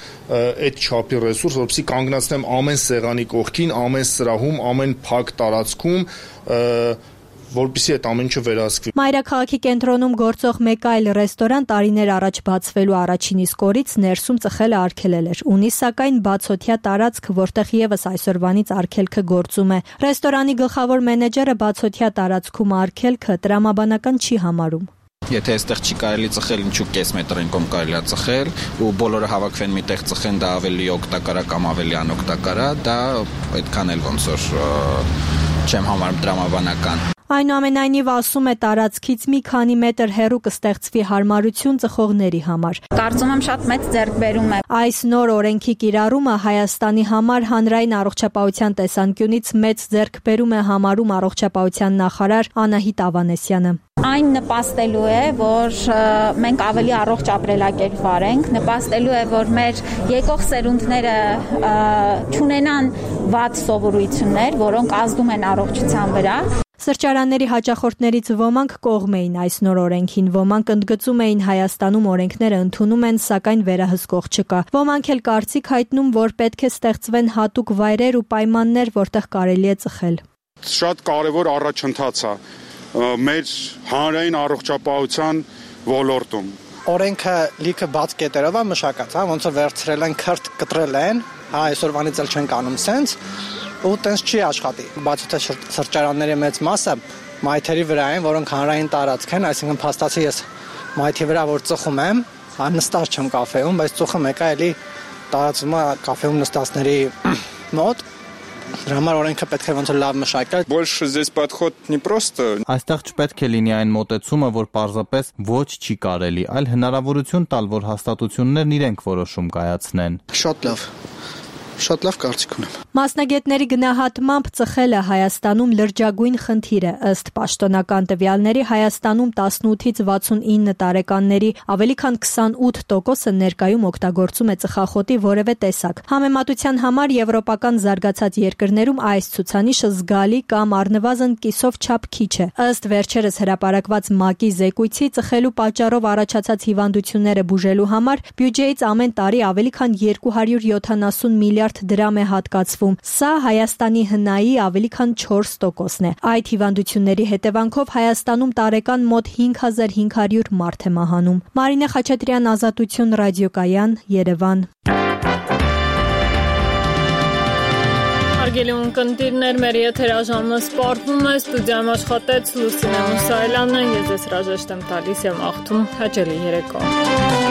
այդ չափի ռեսուրս, որովհետեւ կանգնացնեմ ամեն սեղանի կողքին, ամեն սրահում, ամեն փակ տարածքում, որպեսզի այդ ամեն ինչը վերահսկվի։ Մայրաքաղաքի կենտրոնում գործող մեկ այլ ռեստորան տարիներ առաջ բացվելու առաջին իսկ օրից ներսում ծխելը արգելել էր։ Ունի սակայն բացօթյա տարածք, որտեղ եւս այսօրվանից արգելքը գործում է։ Ռեստորանի գլխավոր մենեջերը բացօթյա տարածքում արգելքը տրամաբանական չի համարում։ Եթե այստեղ չի կարելի ծխել, ինչու կես մետրին կողմ կարելի է ծխել ու բոլորը հավաքվեն միտեղ ծխեն, դա ավելի օգտակար է կամ ավելի անօգտակար է, դա այդքան էլ ոնց որ չեմ համարում տրամաբանական։ Այնուամենայնիվ ասում է տարածքից մի քանի մետր հեռու կստեղծվի հարմարություն ծխողների համար։ Կարծում եմ շատ մեծ ձեռքբերում է։ Այս նոր օրենքի կիրառումը Հայաստանի համար հանրային առողջապահության տեսանկյունից մեծ ձեռքբերում է համարում առողջապահության նախարար Անահիտ Ավանեսյանը։ Այն նպաստելու է, որ մենք ավելի առողջ ապրելակերպ վարենք, նպաստելու է, որ մեր եկող սերունդները չունենան վատ սովորույթներ, որոնք ազդում են առողջության վրա։ Սրճարանների հաճախորդներից ոմանք կողմ էին այս նոր օրենքին, ոմանք ընդգծում էին Հայաստանում օրենքները ընդունում են, սակայն վերահսկող չկա։ Ոմանք էլ կարծիք հայտնում, որ պետք է ստեղծվեն հատուկ վայրեր ու պայմաններ, որտեղ կարելի է ծխել։ Շատ կարևոր առաջընթաց է մեր հանրային առողջապահության ոլորտում։ Օրենքը լիքը բաց կետերով է մշակած, ոնց որ վերցրել են, քրտ կտրել են, այսօրվանից էլ չեն կանում սենց, ու տենց չի աշխատի։ Բացի թե սրճարանների մեծ մասը մայթերի վրա են, որոնք հանրային տարածք են, այսինքն փաստացի ես մայթի վրա որ ծխում եմ, նստած չեմ կաֆեում, բայց ծուխը մեկը էլի տարածվում է կաֆեում նստածների մոտ։ Դրա համար օրենքը պետք է ոնց որ լավ մշակել։ Больше здесь подход не просто. Այստեղ չպետք է լինի այն մոտեցումը, որ պարզապես ոչ չի կարելի, այլ հնարավորություն տալ, որ հաստատություններն իրենք որոշում կայացնեն։ Շատ լավ կարծիք ունեմ։ Մասնագետների գնահատմամբ ծխելը Հայաստանում լրջագույն խնդիր է, ըստ պաշտոնական տվյալների Հայաստանում 18-ից 69 տարեկանների ավելի քան 28%-ը ներկայում օգտագործում է ծխախոտի որևէ տեսակ։ Համեմատության համար եվրոպական զարգացած երկրներում այս ցուցանիշը զգալի կամ առնվազն կիսով չափ քիչ է։ Ըստ վերջերս հրապարակված ՄԱԿ-ի զեկույցի ծխելու պատճառով առաջացած հիվանդությունները բուժելու համար բյուջեից ամեն տարի ավելի քան 270 միլիարդ դրամ է հատկացվում։ Սա Հայաստանի հնայի ավելի քան 4%-ն է։ Այդ հիվանդությունների հետևանքով Հայաստանում տարեկան մոտ 5500 մարդ է մահանում։ Մարինե Խաչատրյան, Ազատություն, ռադիոկայան, Երևան։ Հարգելի ունկնդիրներ, մեր եթերաժամը սպառվում է, ստուդիայում աշխատեց Լուսինե Մուսայելյանը, ես Ռաժեշտ եմ տալիս եմ աղթում հաճելի երեկո։